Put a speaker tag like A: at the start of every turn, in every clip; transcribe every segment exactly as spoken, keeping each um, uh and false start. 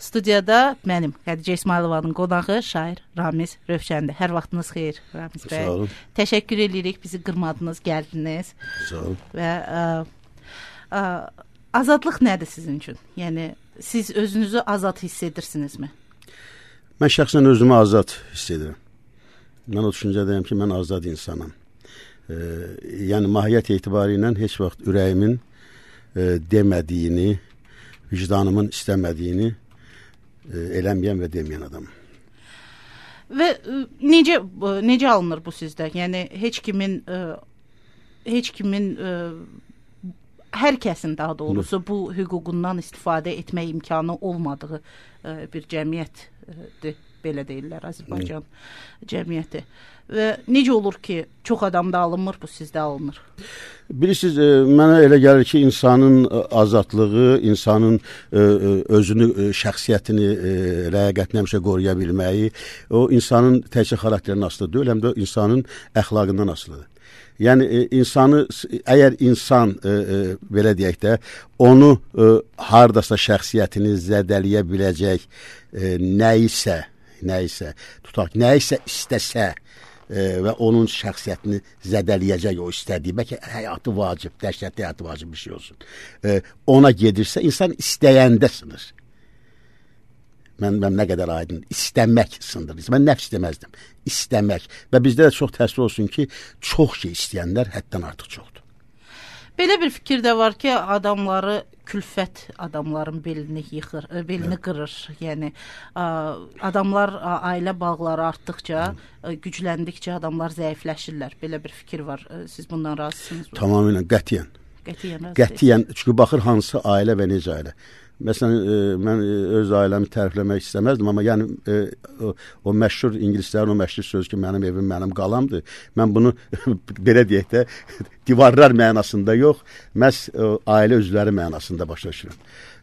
A: studiyada mənim Xədicə İsmailovanın qonağı şair Ramiz Rövşəndir. Hər vaxtınız xeyir Ramiz bəy.
B: Sağ olun.
A: Təşəkkür edirik, bizi qırmadınız, gəldiniz.
B: Sağ olun.
A: Və ə, ə, azadlıq nədir sizin üçün? Yəni siz özünüzü azad hiss edirsinizmi?
B: Mən şəxsən özümü azad hiss edirəm. Mən o düşüncədəyəm ki, mən azad insanam. E, yəni mahiyyət etibarı ilə heç vaxt ürəyimin e, demədiyini, vicdanımın istəmədiyini e, eləməyən və deməyən adamım.
A: Və ə, necə necə alınır bu sizdə? Yəni heç kimin ə, heç kimin ə, hər kəsin daha doğrusu bu hüququndan istifadə etmək imkanı olmadığı ə, bir cəmiyyətdir, belə deyirlər Azərbaycan Hı. cəmiyyəti. Və necə olur ki, çox adamda alınmır, bu sizdə alınır?
B: Bilirsiniz, e, mənə elə gəlir ki, insanın azadlığı, insanın e, özünü, e, şəxsiyyətini, e, ləyaqətini həmişə qoruya bilməyi, o insanın təkcə xarakterindən asılı deyil, həm də insanın əxlaqından asılıdır. Yəni e, insanı, əgər insan e, e, belə deyək də, onu e, hardasa şəxsiyyətini zədələyə biləcək e, nəyisə, nəyisə, tutaq, nəyisə istəsə e, və onun şəxsiyyətini zədələyəcək o istədiyi, bəlkə həyatı vacib, dəhşətli həyatı vacib bir şey olsun. E, ona gedirsə, insan istəyəndə sınır. Mən, mən nə qədər aydın, istəmək sındırır. Mən nəfs deməzdim, istəmək. Və bizdə də çox təəssüf olsun ki, çox şey istəyənlər həddən artıq çoxdur.
A: Belə bir fikir də var ki, adamları, külfət adamların belini yıxır, belini qırır. Yəni, adamlar, ailə bağları artdıqca, gücləndikcə adamlar zəifləşirlər. Belə bir fikir var. Siz bundan razısınız mı?
B: Tamamilə, qətiyyən.
A: Qətiyyən,
B: qətiyyən. Çünki baxır hansı ailə və necə ailə. Məsələn, e, mən öz ailəmi tərifləmək istəməzdim, amma yəni e, o, o məşhur ingilislərin o məşhur söz ki, mənim evim mənim qalamdır. Mən bunu belə deyək də divarlar mənasında yox, məhz e, ailə üzvləri mənasında başa düşürəm.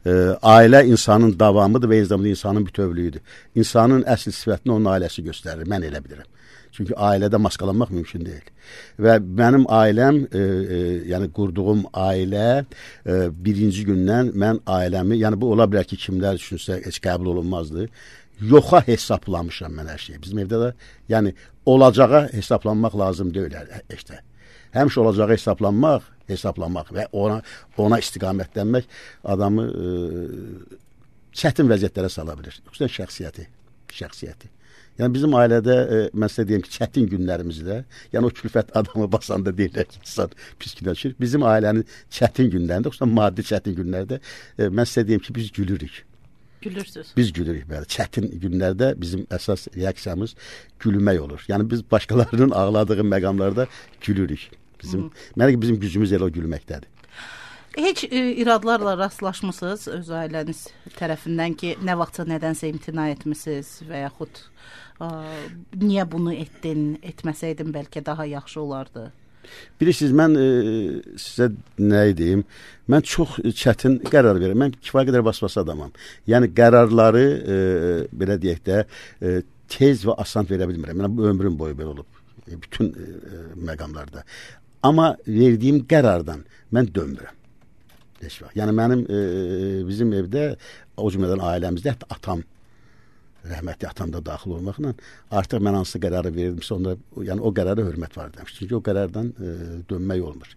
B: E, ailə insanın davamıdır və eyni zamanda insanın bütövlüyüdür. İnsanın əsl sifətini onun ailəsi göstərir, mən elə bilirəm. Çünki ailədə maskalanmaq mümkün deyil. Və mənim ailəm, e, e, yəni qurduğum ailə e, birinci gündən mən ailəmi, yəni bu ola bilər ki, kimlər düşünsə heç qəbul olunmazdı. Yoxa hesablamışam mən hər şeyi. Bizim evdə də, yəni olacağa hesablanmaq lazım deyil işte. Həmişə olacağa hesablanmaq, hesablanmaq və ona ona istiqamətlənmək adamı e, çətin vəziyyətlərə sala bilir. Xüsusən şəxsiyyəti, şəxsiyyəti. Yəni bizim ailədə, e, mən sizə deyim ki, çətin günlərimizdə, yəni o külfət adamı basanda deyirlər ki, insan pis günləşir. Bizim ailənin çətin günlərində, xüsusən maddi çətin günlərdə, e, mən sizə deyim ki, biz gülürük.
A: Gülürsünüz.
B: Biz gülürük bəli. Çətin günlərdə bizim əsas reaksiyamız gülmək olur. Yəni biz başqalarının ağladığı məqamlarda gülürük. Bizim, mənə bizim gücümüz elə o gülməkdədir.
A: Heç e, iradlarla rastlaşmısınız öz ailəniz tərəfindən ki, nə vaxtsa nədənsə imtina etmisiniz və yaxud ə, niyə bunu etdin, etməsəydin bəlkə daha yaxşı olardı?
B: Bilirsiniz, mən e, sizə nə deyim, mən çox çətin qərar verirəm. Mən kifayət qədər vasvas adamam. Yəni qərarları, e, belə deyək də, e, tez və asan verə bilmirəm. Yəni, ömrüm boyu belə olub, e, bütün e, məqamlarda. Amma verdiyim qərardan mən dönmürəm. Yəni mənim e, bizim evdə, o cümlədən ailəmizdə, hətta atam, rəhmətli atam da daxil olmaqla artıq mən hansı qərarı verilmişsə, onda, yəni o qərara hörmət var demiş. Çünki o qərardan e, dönmək olmur.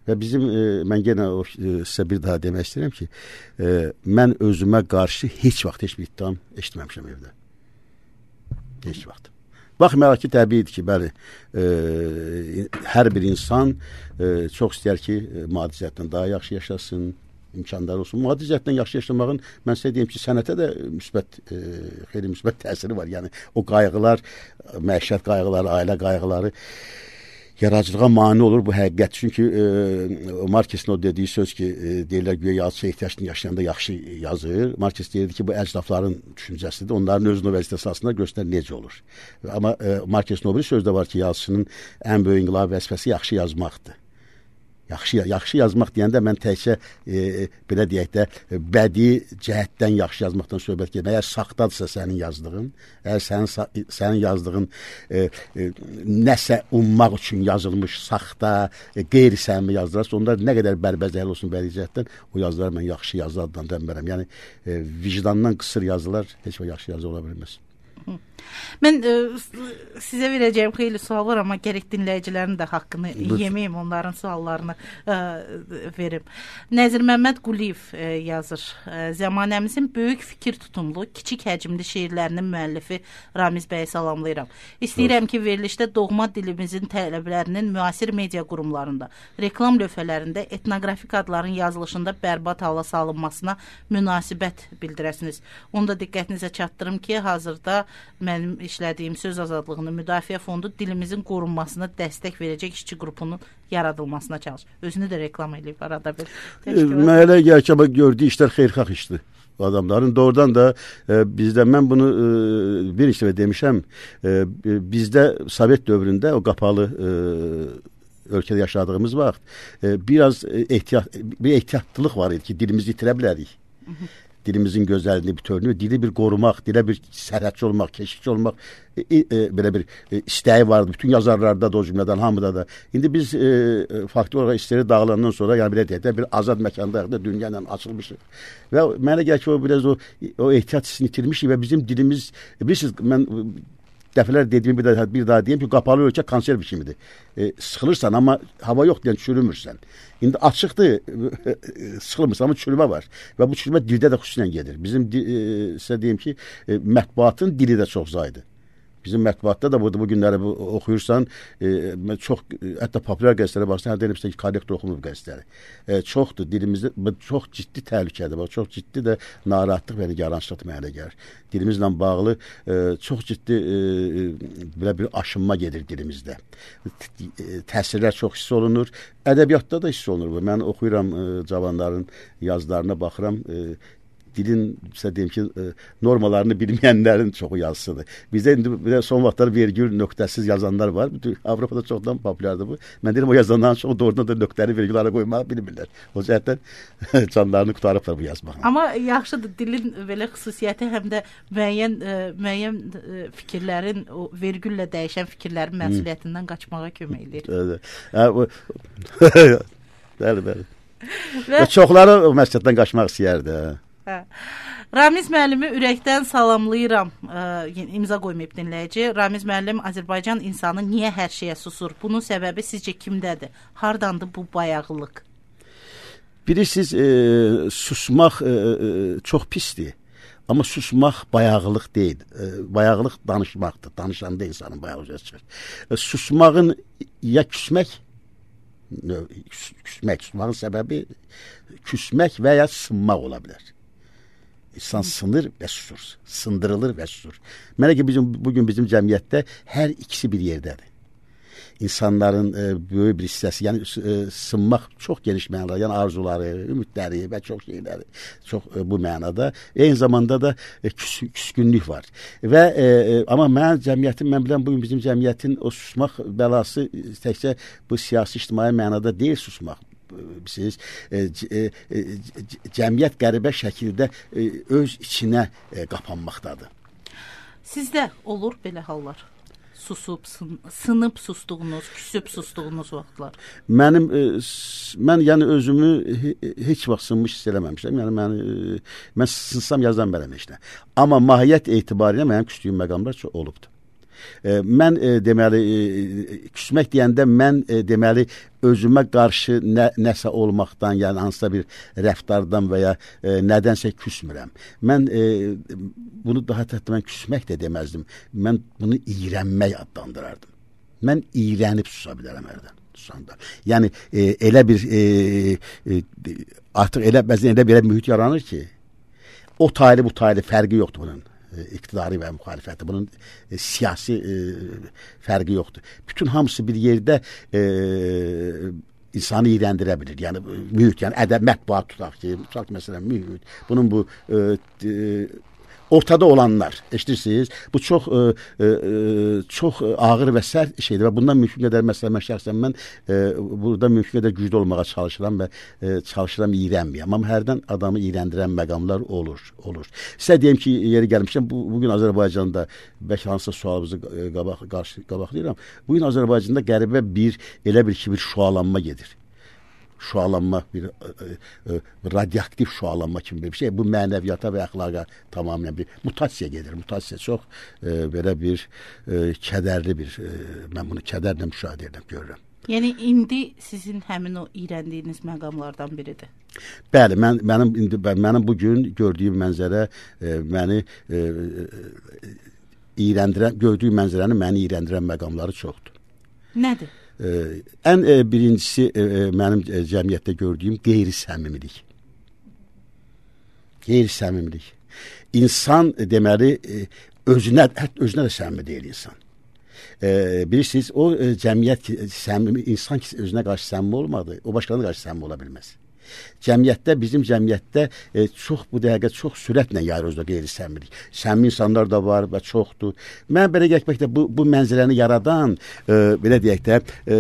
B: Və bizim, e, mən yenə o, e, sizə bir daha demək istəyirəm ki, e, mən özümə qarşı heç vaxt heç bir ittiham eşitməmişəm evdə. Heç vaxt. Baxmayaraq ki, təbiidir ki, bəli, e, hər bir insan e, çox istəyər ki, e, maddi cəhətdən daha yaxşı yaşasın, imkanları olsun. Maddi cəhətdən yaxşı yaşamağın, mən sizə deyim ki, sənətə də müsbət, e, xeyli müsbət təsiri var. Yəni, o qayğılar, məişət qayğıları, ailə qayğıları yaradıcılığa mane olur bu həqiqət. Çünki e, Markesin o dediyi söz ki, e, deyirlər güya yazıçı ehtiyacını yaşayanda yaxşı yazır. Markes deyirdi ki, bu əcdafların düşüncəsidir. Onların özünün vəzifəsi aslında göstərir necə olur. Amma e, Markesin o bir sözdə var ki, yazıçının ən böyük inqilab vəzifəsi yaxşı yazmaqdır. Yaxşı, yaxşı yazmaq deyəndə mən təkcə e, belə deyək də bədii cəhətdən yaxşı yazmaqdan söhbət gedir. Əgər saxtadırsa sənin yazdığın, əgər sənin sənin yazdığın e, e, nəsə ummaq üçün yazılmış saxta, e, qeyri-səmimi yazılarsa, onlar nə qədər bərbəzəkli olsun bədii cəhətdən, o yazılar mən yaxşı yazı adlandırmıram. Yəni e, vicdandan qısır yazılar heç bir yaxşı yazı ola bilməz.
A: Mən ə, sizə verəcəyim xeyli sual var, amma gərək dinləyicilərin də haqqını Lütfen. yeməyim, onların suallarını ə, verim. Nəzir Məmməd Quliyev ə, yazır. Ə, Zamanəmizin böyük fikir tutumlu, kiçik həcmli şeirlərinin müəllifi Ramiz bəyi salamlayıram. İstəyirəm ki, verilişdə doğma dilimizin tələblərinin müasir media qurumlarında, reklam lövhələrində, etnoqrafik adların yazılışında bərbad hala salınmasına münasibət bildirəsiniz. Onu da diqqətinizə çatdırım ki, hazırda mənim işlədiyim Söz Azadlığının Müdafiə Fondu dilimizin qorunmasına dəstək verəcək işçi qrupunun yaradılmasına çalışır. Özünü də reklam edib arada bir.
B: Mənə elə gəlir ki, gördüyü işlər xeyirxah işdir. Adamların doğrudan da e, bizdə mən bunu e, bir işlə demişəm. E, bizdə Sovet dövründə o qapalı e, ölkədə yaşadığımız vaxt e, biraz ehtiyat bir ehtiyatlılıq var idi ki, dilimizi itirə bilərik. Hı -hı. Dilimizin gözəlliğini, bütövlüyünü, dili bir qorumaq, dilə bir sərhədçi olmaq, keşikçi olmaq e, e, belə bir e, istəyi vardı. Bütün yazarlarda da, o cümlədən hamıda da. İndi biz e, faktör olaraq istəyi dağılandan sonra, yəni belə deyək də, bir azad məkandayıq da, dünya ilə açılmışıq. Və mənə gəlir ki, o biraz o, o ehtiyat hissini itirmişik və bizim dilimiz, bilirsiniz, mən dəfələr dediyimi bir daha, bir daha deyim ki, qapalı ölkə konserv kimidir. E, sıxılırsan, amma hava yox deyən çürümürsən. İndi açıqdır, sıxılmırsan, amma çürümə var. Və bu çürümə dildə də xüsusilə gedir. Bizim, e, sizə deyim ki, e, mətbuatın dili də çox zaydı. Bizim mətbuatda da burada bu günləri bu, oxuyursan, e, çox, hətta populyar qəzetlərə baxsan, hər deyilmişsə ki, korrekt oxunur qəzetləri. E, çoxdur, dilimizdə çox ciddi təhlükədir, bax, çox ciddi də narahatlıq və nigarançılıq mənə gəlir. Dilimizlə bağlı e, çox ciddi e, belə bir aşınma gedir dilimizdə. Təsirlər çox hiss olunur, ədəbiyyatda da hiss olunur. Mən oxuyuram e, cavanların yazılarına, baxıram, e, dilin, sizə deyim ki, normalarını bilməyənlərin çoxu yazısıdır. Bizdə indi son vaxtlar vergül nöqtəsiz yazanlar var. Avropada çoxdan populyardır bu. Mən deyirəm, o yazanların çoxu doğrudan da nöqtəli vergülləri qoymağı bilmirlər. O cəhətdən canlarını qutarıblar bu yazmaqla.
A: Amma yaxşıdır, dilin belə xüsusiyyəti həm də müəyyən, müəyyən fikirlərin, o vergüllə dəyişən fikirlərin məsuliyyətindən qaçmağa kömək edir.
B: Bəli, bəli. Və çoxları o məsuliyyətdən qaçmaq istəyərdi.
A: Hə. Ramiz müəllimi ürəkdən salamlayıram. Ə, imza qoymayıb dinləyici. Ramiz müəllim, Azərbaycan insanı niyə hər şeyə susur? Bunun səbəbi sizcə kimdədir? Hardandır bu bayağılıq?
B: Bilirsiniz, e, susmaq e, e, çox pisdir. Amma susmaq bayağılıq deyil. E, bayağılıq danışmaqdır. Danışanda insanın bayağılığı çıxır. E, susmağın ya küsmək, küsmək, susmağın səbəbi küsmək və ya sınmaq ola bilər. İnsan sınır və susur, sındırılır və susur. Mənə ki, bizim, bugün bizim cəmiyyətdə hər ikisi bir yerdədir. İnsanların e, böyük bir hissəsi, yəni e, sınmaq çox geniş mənada, yəni arzuları, ümidləri və çox şeyləri, çox e, bu mənada. Eyni zamanda da e, küs, küskünlük var. Və e, amma mən cəmiyyətin, mən bilən bugün bizim cəmiyyətin o susmaq bəlası təkcə bu siyasi ictimai mənada deyil susmaq. Siz e, e, e, cəmiyyət qəribə şəkildə e, öz içinə e, qapanmaqdadır.
A: Sizdə olur belə hallar? Susub, sın, sınıb sustuğunuz, küsüb sustuğunuz vaxtlar? Mənim,
B: e, mən yəni özümü he, heç vaxt sınmış hiss eləməmişəm. Yəni mən, e, mən sınsam yazdan bələm işlə. Amma mahiyyət etibarilə mənim küstüyüm məqamlar çox olubdur. E, mən e, deməli e, küsmək deyəndə mən e, deməli özümə qarşı nə, nəsə olmaqdan, yəni hansısa bir rəftardan və ya e, nədənsə küsmürəm. Mən e, bunu daha təhdid mən küsmək də deməzdim. Mən bunu iyrənmək adlandırardım. Mən iyrənib susa bilərəm hərdən. Susanda. Yəni e, elə bir e, e, artıq elə bəzən elə bir mühit yaranır ki, o taylı bu taylı fərqi yoxdur bunun. İqtidari və müxalifəti. Bunun e, siyasi e, fərqi yoxdur. Bütün hamısı bir yerdə e, insanı iyrəndirə bilir. Yəni mühit, yəni ədəb mətbuat tutaq ki, tutaq məsələn mühit. Bunun bu e, e, ortada olanlar, eşidirsiniz. Bu çox e, e, çox ağır və sərt şeydir və bundan mümkün qədər məsələn mən şəxsən mən e, burada mümkün qədər güclü olmağa çalışıram və e, çalışıram iyrənməyəm. Amma hərdən adamı iyrəndirən məqamlar olur, olur. Sizə deyim ki, yeri gəlmişəm, bu bugün Azərbaycanda bəlkə hansısa sualımızı qabaq qarşı qabaqlayıram. Bugün Azərbaycanda qəribə bir elə bir ki bir şualanma gedir. Şualanma, bir e, e, radioaktiv şualanma kimi bir şey. Bu mənəviyyata və əxlaqa tamamilə bir mutasiya gedir. Mutasiya çox e, belə bir e, kədərli bir, e, mən bunu kədərlə müşahidə edirəm, görürəm.
A: Yəni indi sizin həmin o iyrəndiyiniz məqamlardan biridir.
B: Bəli, mən mənim indi mənim bu gün gördüyüm mənzərə e, məni e, e, iyrəndirən, gördüyüm mənzərənin məni iyrəndirən məqamları çoxdur.
A: Nədir?
B: Ee, ən e, birincisi e, mənim e, cəmiyyətdə gördüyüm qeyri-səmimilik. Qeyri-səmimilik. İnsan e, deməli e, özünə, hətta özünə də səmimi deyil insan. E, bilirsiniz, o e, cəmiyyət səmimi, insan ki özünə qarşı səmimi olmadı, o başqalarına qarşı səmimi ola bilməz. Cəmiyyətdə, bizim cəmiyyətdə e, çox bu dəqiqə çox sürətlə yayır özdə qeyri-səmimilik. Səmimi insanlar da var və çoxdur. Mən belə gəlməkdə bu, bu mənzərəni yaradan, e, belə deyək də, e,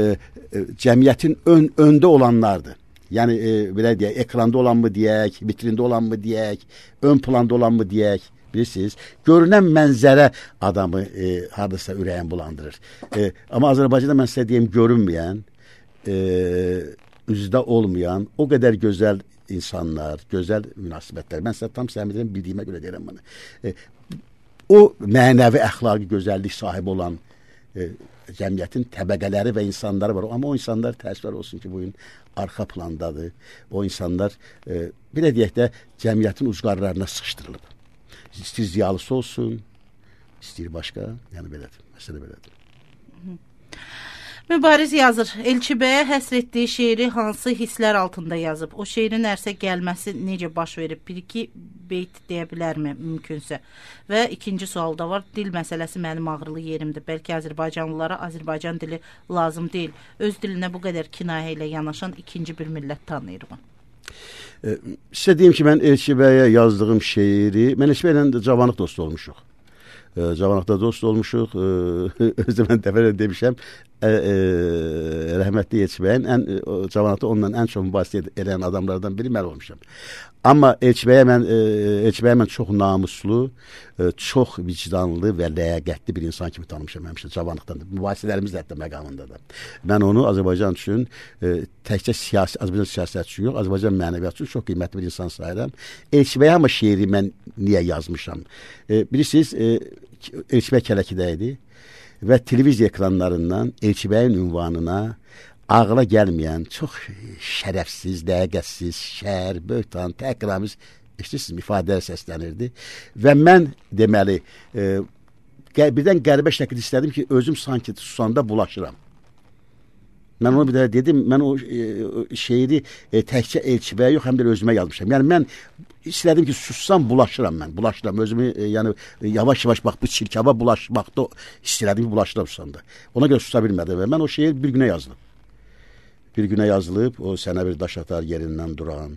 B: e, cəmiyyətin ön, öndə olanlardır. Yəni, e, belə deyək, ekranda olan mı deyək, vitrində olan mı deyək, ön planda olan mı deyək, bilirsiniz, görünən mənzərə adamı e, hardasa ürəyin bulandırır. E, amma Azərbaycanda mən sizə deyim, görünməyən, e, üzdə olmayan, o qədər gözəl insanlar, gözəl münasibətlər. Mən sizə tam səmimiyyətlə bildiyimə görə deyirəm bunu. E, o mənəvi əxlaqi gözəllik sahibi olan e, cəmiyyətin təbəqələri və insanları var. Amma o insanlar təəssüflər olsun ki, bugün arxa plandadır. O insanlar, e, belə deyək də, cəmiyyətin ucqarlarına sıxışdırılıb. İstəyir ziyalısı olsun, istəyir başqa, yəni belədir, məsələ belədir.
A: Mübariz yazır, Elçibəyə həsr etdiyi şeiri hansı hisslər altında yazıb? O şeirin ərsə gəlməsi necə baş verib? Bir-iki beyt deyə bilərmi mümkünsə? Və ikinci sual da var, dil məsələsi mənim ağrılı yerimdir. Bəlkə Azərbaycanlılara Azərbaycan dili lazım deyil. Öz dilinə bu qədər kinayə ilə yanaşan ikinci bir millət tanıyırım.
B: E, sizə deyim ki, mən Elçibəyə yazdığım şeiri, mən Elçibəylə cavanlıq dostu olmuşuq. E, cavanlıqda dost olmuşuq. E, özdə mən dəfələrlə demişəm, e, e, rəhmətli Elçibəyin ən, e, cavanlıqda onunla ən çox mübahisə edən adamlardan biri mən olmuşam. Amma Elçibəyə mən, e, Elçibəyə mən çox namuslu, e, çox vicdanlı və ləyaqətli bir insan kimi tanımışam həmişə cavanlıqdan da. Mübahisələrimiz də hətta məqamında da. Mən onu Azərbaycan üçün e, təkcə siyasi, Azərbaycan siyasət üçün yox, Azərbaycan mənəviyyatı üçün çox qiymətli bir insan sayıram. Elçibəyə amma şeiri mən niyə yazmışam? E, bilirsiniz, e, Elçibəy Kələkidə idi və televiziya ekranlarından Elçibəyin ünvanına ağla gəlməyən, çox şərəfsiz, dəqiqətsiz, şər, böhtan, təhqiramiz, eşitirsiniz, ifadələr səslənirdi. Və mən deməli, e, birdən qəribə şəkildə istədim ki, özüm sanki susanda bulaşıram. Mən onu bir də dedim, mən o e, şeiri e, təkcə Elçibəyə yox, həm də özümə yazmışam. Yəni mən istədim ki, sussam bulaşıram mən, bulaşıram. Özümü e, yəni yavaş-yavaş bax bu çirkaba bulaşmaqda istədim ki, bulaşıram susanda. Ona görə susa bilmədim və mən o şeir bir günə yazdım. Bir günə yazılıb, o sənə bir daş atar yerindən duran,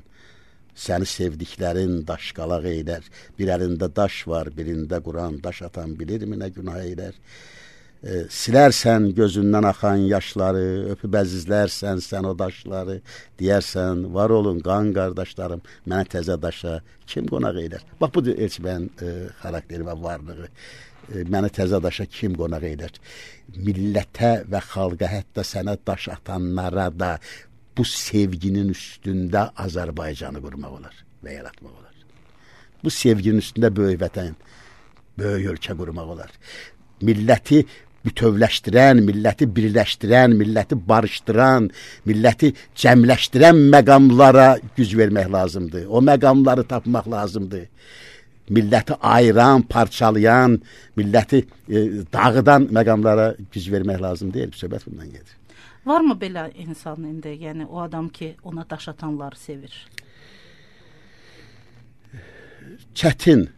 B: səni sevdiklərin daşqalaq eylər, bir əlində daş var, birində Quran, daş atan bilirmi nə günah eylər? E, silərsən gözündən axan yaşları, öpüb əzizlərsən sən o daşları, deyərsən, var olun qan qardaşlarım, mənə təzə daşa kim qonaq eylər? Bax, budur Elçibəyin e, xarakteri və varlığı. E, mənə təzə daşa kim qonaq eylər? Millətə və xalqa, hətta sənə daş atanlara da bu sevginin üstündə Azərbaycanı qurmaq olar və yaratmaq olar. Bu sevginin üstündə böyük vətən, böyük ölkə qurmaq olar. Milləti bütövləşdirən, milləti birləşdirən, milləti barışdıran, milləti cəmləşdirən məqamlara güc vermək lazımdır. O məqamları tapmaq lazımdır. Milləti ayıran, parçalayan, milləti e, dağıdan məqamlara güc vermək lazım deyil. Söhbət bundan gedir.
A: Varmı belə insan indi? Yəni o adam ki, ona daş atanları sevir?
B: Çətin.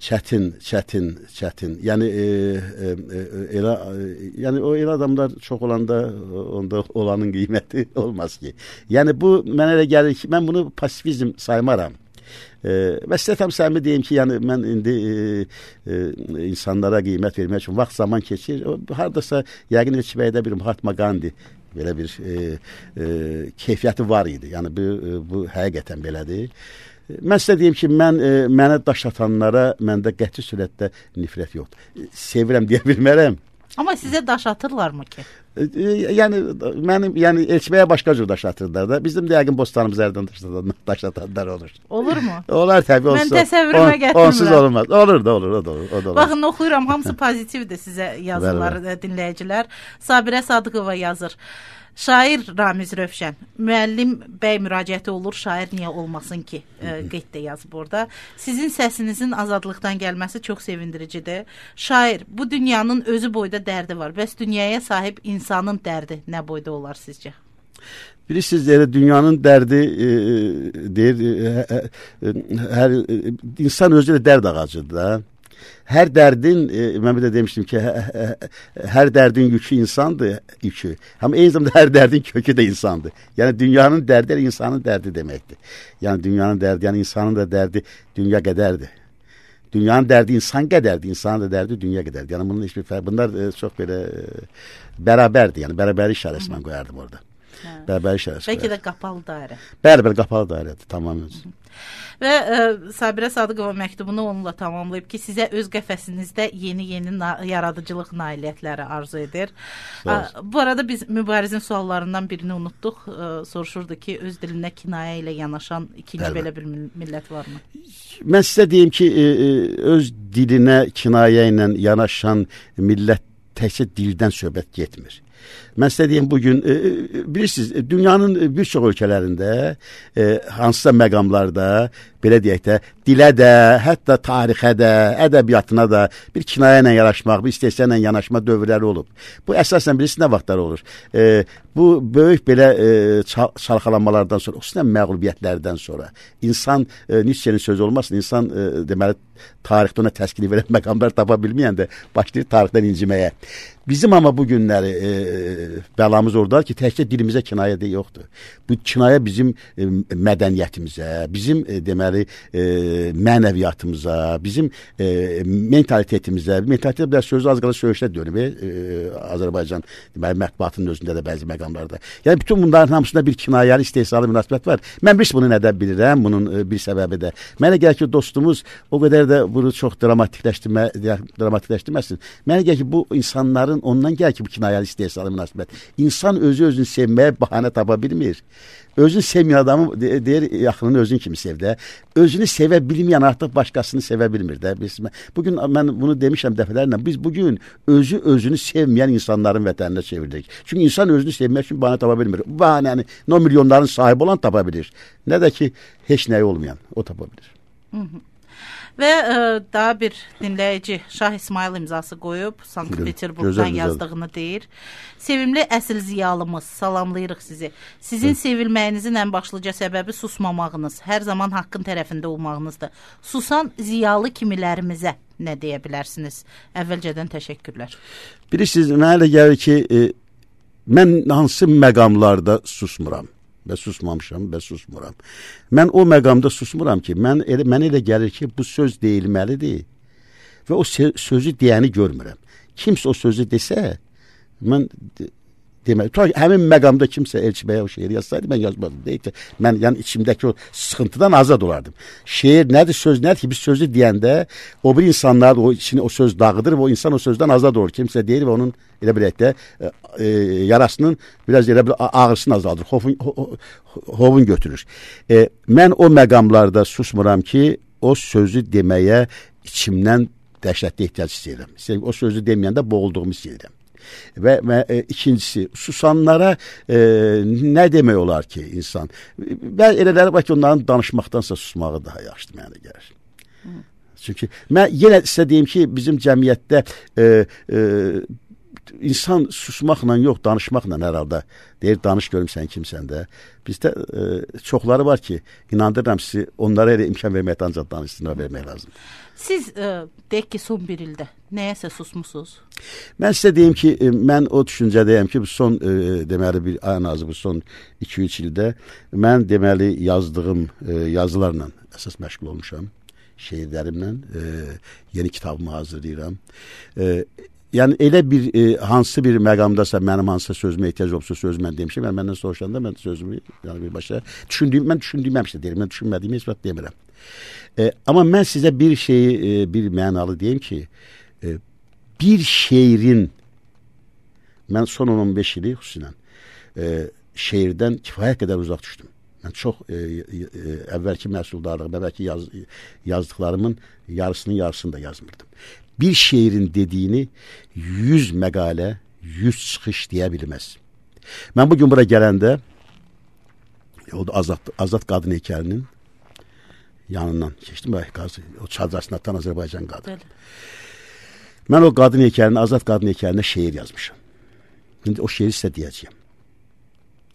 B: Çətin, çətin, çətin. Yəni e, e, e, elə e, yəni o elə adamlar çox olanda onda olanın qiyməti olmaz ki. Yəni bu mənə elə gəlir ki, mən bunu pasifizm saymaram. E, və sizə tam səmimi deyim ki, yəni mən indi e, e, insanlara qiymət vermək üçün vaxt zaman keçir. O, hardasa yəqin Elçibəydə bir Mahatma Gandhi belə bir e, e, keyfiyyəti var idi. Yəni bu, e, bu həqiqətən belədir. Mən sizə deyim ki, mən e, mənə daş atanlara məndə qəti surətdə nifrət yoxdur. Sevirəm deyə bilmərəm.
A: Amma sizə daş atırlarmı ki?
B: E, e, yəni mənim yəni Elçibəyə başqa cür daş atırlar da. Bizim də yəqin bostanımız ərdən daş atanlar olur.
A: Olurmu?
B: Olar təbii olsun.
A: Mən təsəvvürümə gətirmirəm.
B: Onsuz olmaz. Olur da olur, o da olur. O da olur.
A: Baxın, oxuyuram, hamısı pozitivdir sizə yazılar dinləyicilər. Sabirə Sadıqova yazır. Şair Ramiz Rövşən, müəllim bəy müraciəti olur, şair niyə olmasın ki, e, qeyd də yazıb orada. Sizin səsinizin azadlıqdan gəlməsi çox sevindiricidir. Şair, bu dünyanın özü boyda dərdi var. Bəs dünyaya sahib insanın dərdi nə boyda olar sizcə?
B: Bilirsiniz, elə dünyanın dərdi e, deyir, e, e, hər e, insan özü də dərd ağacıdır da. Hər dərdin, e, mən bir də demişdim ki, hə, hə, hər dərdin yükü insandır, yükü. Amma eyni zamanda hər dərdin kökü də insandır. Yəni dünyanın dərdi insanın dərdi deməkdir. Yəni dünyanın dərdi, yəni insanın da dərdi dünya qədərdir. Dünyanın dərdi insan qədərdir, insanın da dərdi dünya qədərdir. Yəni bunun heç bir fərq, bunlar e, çox belə e, bərabərdir. Yəni bərabərlik işarəsi mən qoyardım orada. Hə. Bərabərlik işarəsi.
A: Bəlkə də qapalı dairə.
B: Bəli, bəli, qapalı dairədir, tamamilə.
A: Və ə, Sabirə Sadıqova məktubunu onunla tamamlayıb ki, sizə öz qəfəsinizdə yeni-yeni na yaradıcılıq nailiyyətləri arzu edir. Ə, bu arada biz Mübarizin suallarından birini unutduq. Ə, soruşurdu ki, öz dilinə kinayə ilə yanaşan ikinci Bəli. belə bir millət varmı?
B: Mən sizə deyim ki, e, öz dilinə kinayə ilə yanaşan millət təkcə dildən söhbət getmir. Mən sizə deyim, bugün e, bilirsiniz, dünyanın bir çox ölkələrində e, hansısa məqamlarda, belə deyək də, dilə də, hətta tarixə də, ədəbiyyatına da bir kinayə ilə yanaşmaq, bir istehza ilə yanaşma dövrləri olub. Bu əsasən bilirsiniz nə vaxtlar olur? E, bu böyük belə e, çalxalanmalardan sonra, xüsusən məğlubiyyətlərdən sonra insan, e, Nietzsche'nin sözü olmasın, insan e, deməli tarixdə ona təskini verən məqamlar tapa bilməyəndə başlayır tarixdən inciməyə. Bizim amma bu günləri e, bəlamız oradadır ki, təkcə dilimizə kinayə də yoxdur. Bu kinayə bizim e, mədəniyyətimizə, bizim e, deməli e, mənəviyyatımıza, bizim e, mentalitetimizə, mentalitet biraz sözü az qala söyüşdə dönüb e, Azərbaycan deməli mətbuatının özündə də bəzi məqamlarda. Yəni bütün bunların hamısında bir kinayəli, istehzalı münasibət var. Mən bir bunu nədən bilirəm, bunun e, bir səbəbi də. Mənə gəlir ki, dostumuz o qədər də bunu çox dramatikləşdirmə, dramatikləşdirməsin. Mənə gəlir ki, bu insanların ondan gəlir ki, bu kinayəli, istehzalı münasibət. İnsan özü özünü sevməyə bəhanə tapa bilmir. Özünü sevməyən adamı deyir, yaxınını özün kimi sev də. Özünü sevə bilməyən artıq başqasını sevə bilmir də. Biz, bugün mən bunu demişəm dəfələrlə. Biz bugün özü özünü sevməyən insanların vətəninə çeviririk. Çünki insan özünü sevmək üçün bəhanə tapa bilmir. Bu bəhanəni nə milyonların sahibi olan tapa bilir, nə də ki, heç nəyi olmayan o tapa bilir.
A: Hı hı. Və ə, daha bir dinləyici Şah İsmail imzası qoyub, Sankt-Peterburqdan yazdığını deyir. Sevimli əsil ziyalımız, salamlayırıq sizi. Sizin Hı. sevilməyinizin ən başlıca səbəbi susmamağınız, hər zaman haqqın tərəfində olmağınızdır. Susan ziyalı kimilərimizə nə deyə bilərsiniz? Əvvəlcədən təşəkkürlər. Bilirsiniz,
B: mənə elə gəlir ki, e, mən hansı məqamlarda susmuram? Və susmamışam və susmuram. Mən o məqamda susmuram ki, mən elə, mənə elə gəlir ki, bu söz deyilməlidir və o sözü deyəni görmürəm. Kimsə o sözü desə, mən demək, həmin məqamda kimsə Elçibəyə o şeiri yazsaydı, mən yazmadım. Deyək ki, mən yəni içimdəki o sıxıntıdan azad olardım. Şeir nədir, söz nədir ki, biz sözü deyəndə o bir insanlar o içini o söz dağıdır və o insan o sözdən azad olur. Kimsə deyir və onun elə bilək də e, e, yarasının biraz elə bir ağrısını azaldır, hovun, ho, hovun götürür. E, mən o məqamlarda susmuram ki, o sözü deməyə içimdən dəhşətli ehtiyac istəyirəm. O sözü deməyəndə boğulduğumu istəyirəm. Və, və e, ikincisi, susanlara e, nə demək olar ki insan? Və elələri var ki, onların danışmaqdansa susmağı daha yaxşıdır mənə gəlir. Hı. Çünki mən yenə sizə deyim ki, bizim cəmiyyətdə e, e, insan susmaqla yox, danışmaqla hər halda deyir, danış görüm sən kimsən də. Bizdə e, çoxları var ki, inandırıram sizi, onlara elə imkan verməkdə ancaq danışsınlar vermək lazım.
A: Siz e, deyək ki, son bir ildə nəyəsə susmusunuz?
B: Mən sizə deyim ki, e, mən o düşüncədəyəm ki, bu son e, deməli bir ən azı bu son iki üç ildə mən deməli yazdığım e, yazılarla əsas məşğul olmuşam. Şeirlərimlə e, yeni kitabımı hazırlayıram. E, yəni elə bir e, hansı bir məqamdasa mənim hansısa sözümə ehtiyac olsa söz mən demişəm. Yəni məndən soruşanda mən sözümü yəni birbaşa düşündüyüm, mən düşündüyüm həmişə deyirəm. Mən düşünmədiyimi heç vaxt demirəm. E, amma mən sizə bir şeyi e, bir mənalı deyim ki, e, bir şeirin mən son on on beş ili xüsusən e, şeirdən kifayət qədər uzaq düşdüm. Mən çox e, e, əvvəlki məhsuldarlığım, əvvəlki yaz, yazdıqlarımın yarısının yarısını da yazmırdım. Bir şeirin dediyini yüz məqalə, yüz çıxış deyə bilməz. Mən bugün bura gələndə o da Azad, Azad qadın heykəlinin yanından keçdim. O çadrasında atan Azərbaycan qadın. Mən o qadın heykəlinin, Azad qadın heykəlinə şeir yazmışam. İndi o şeiri sizə deyəcəyəm.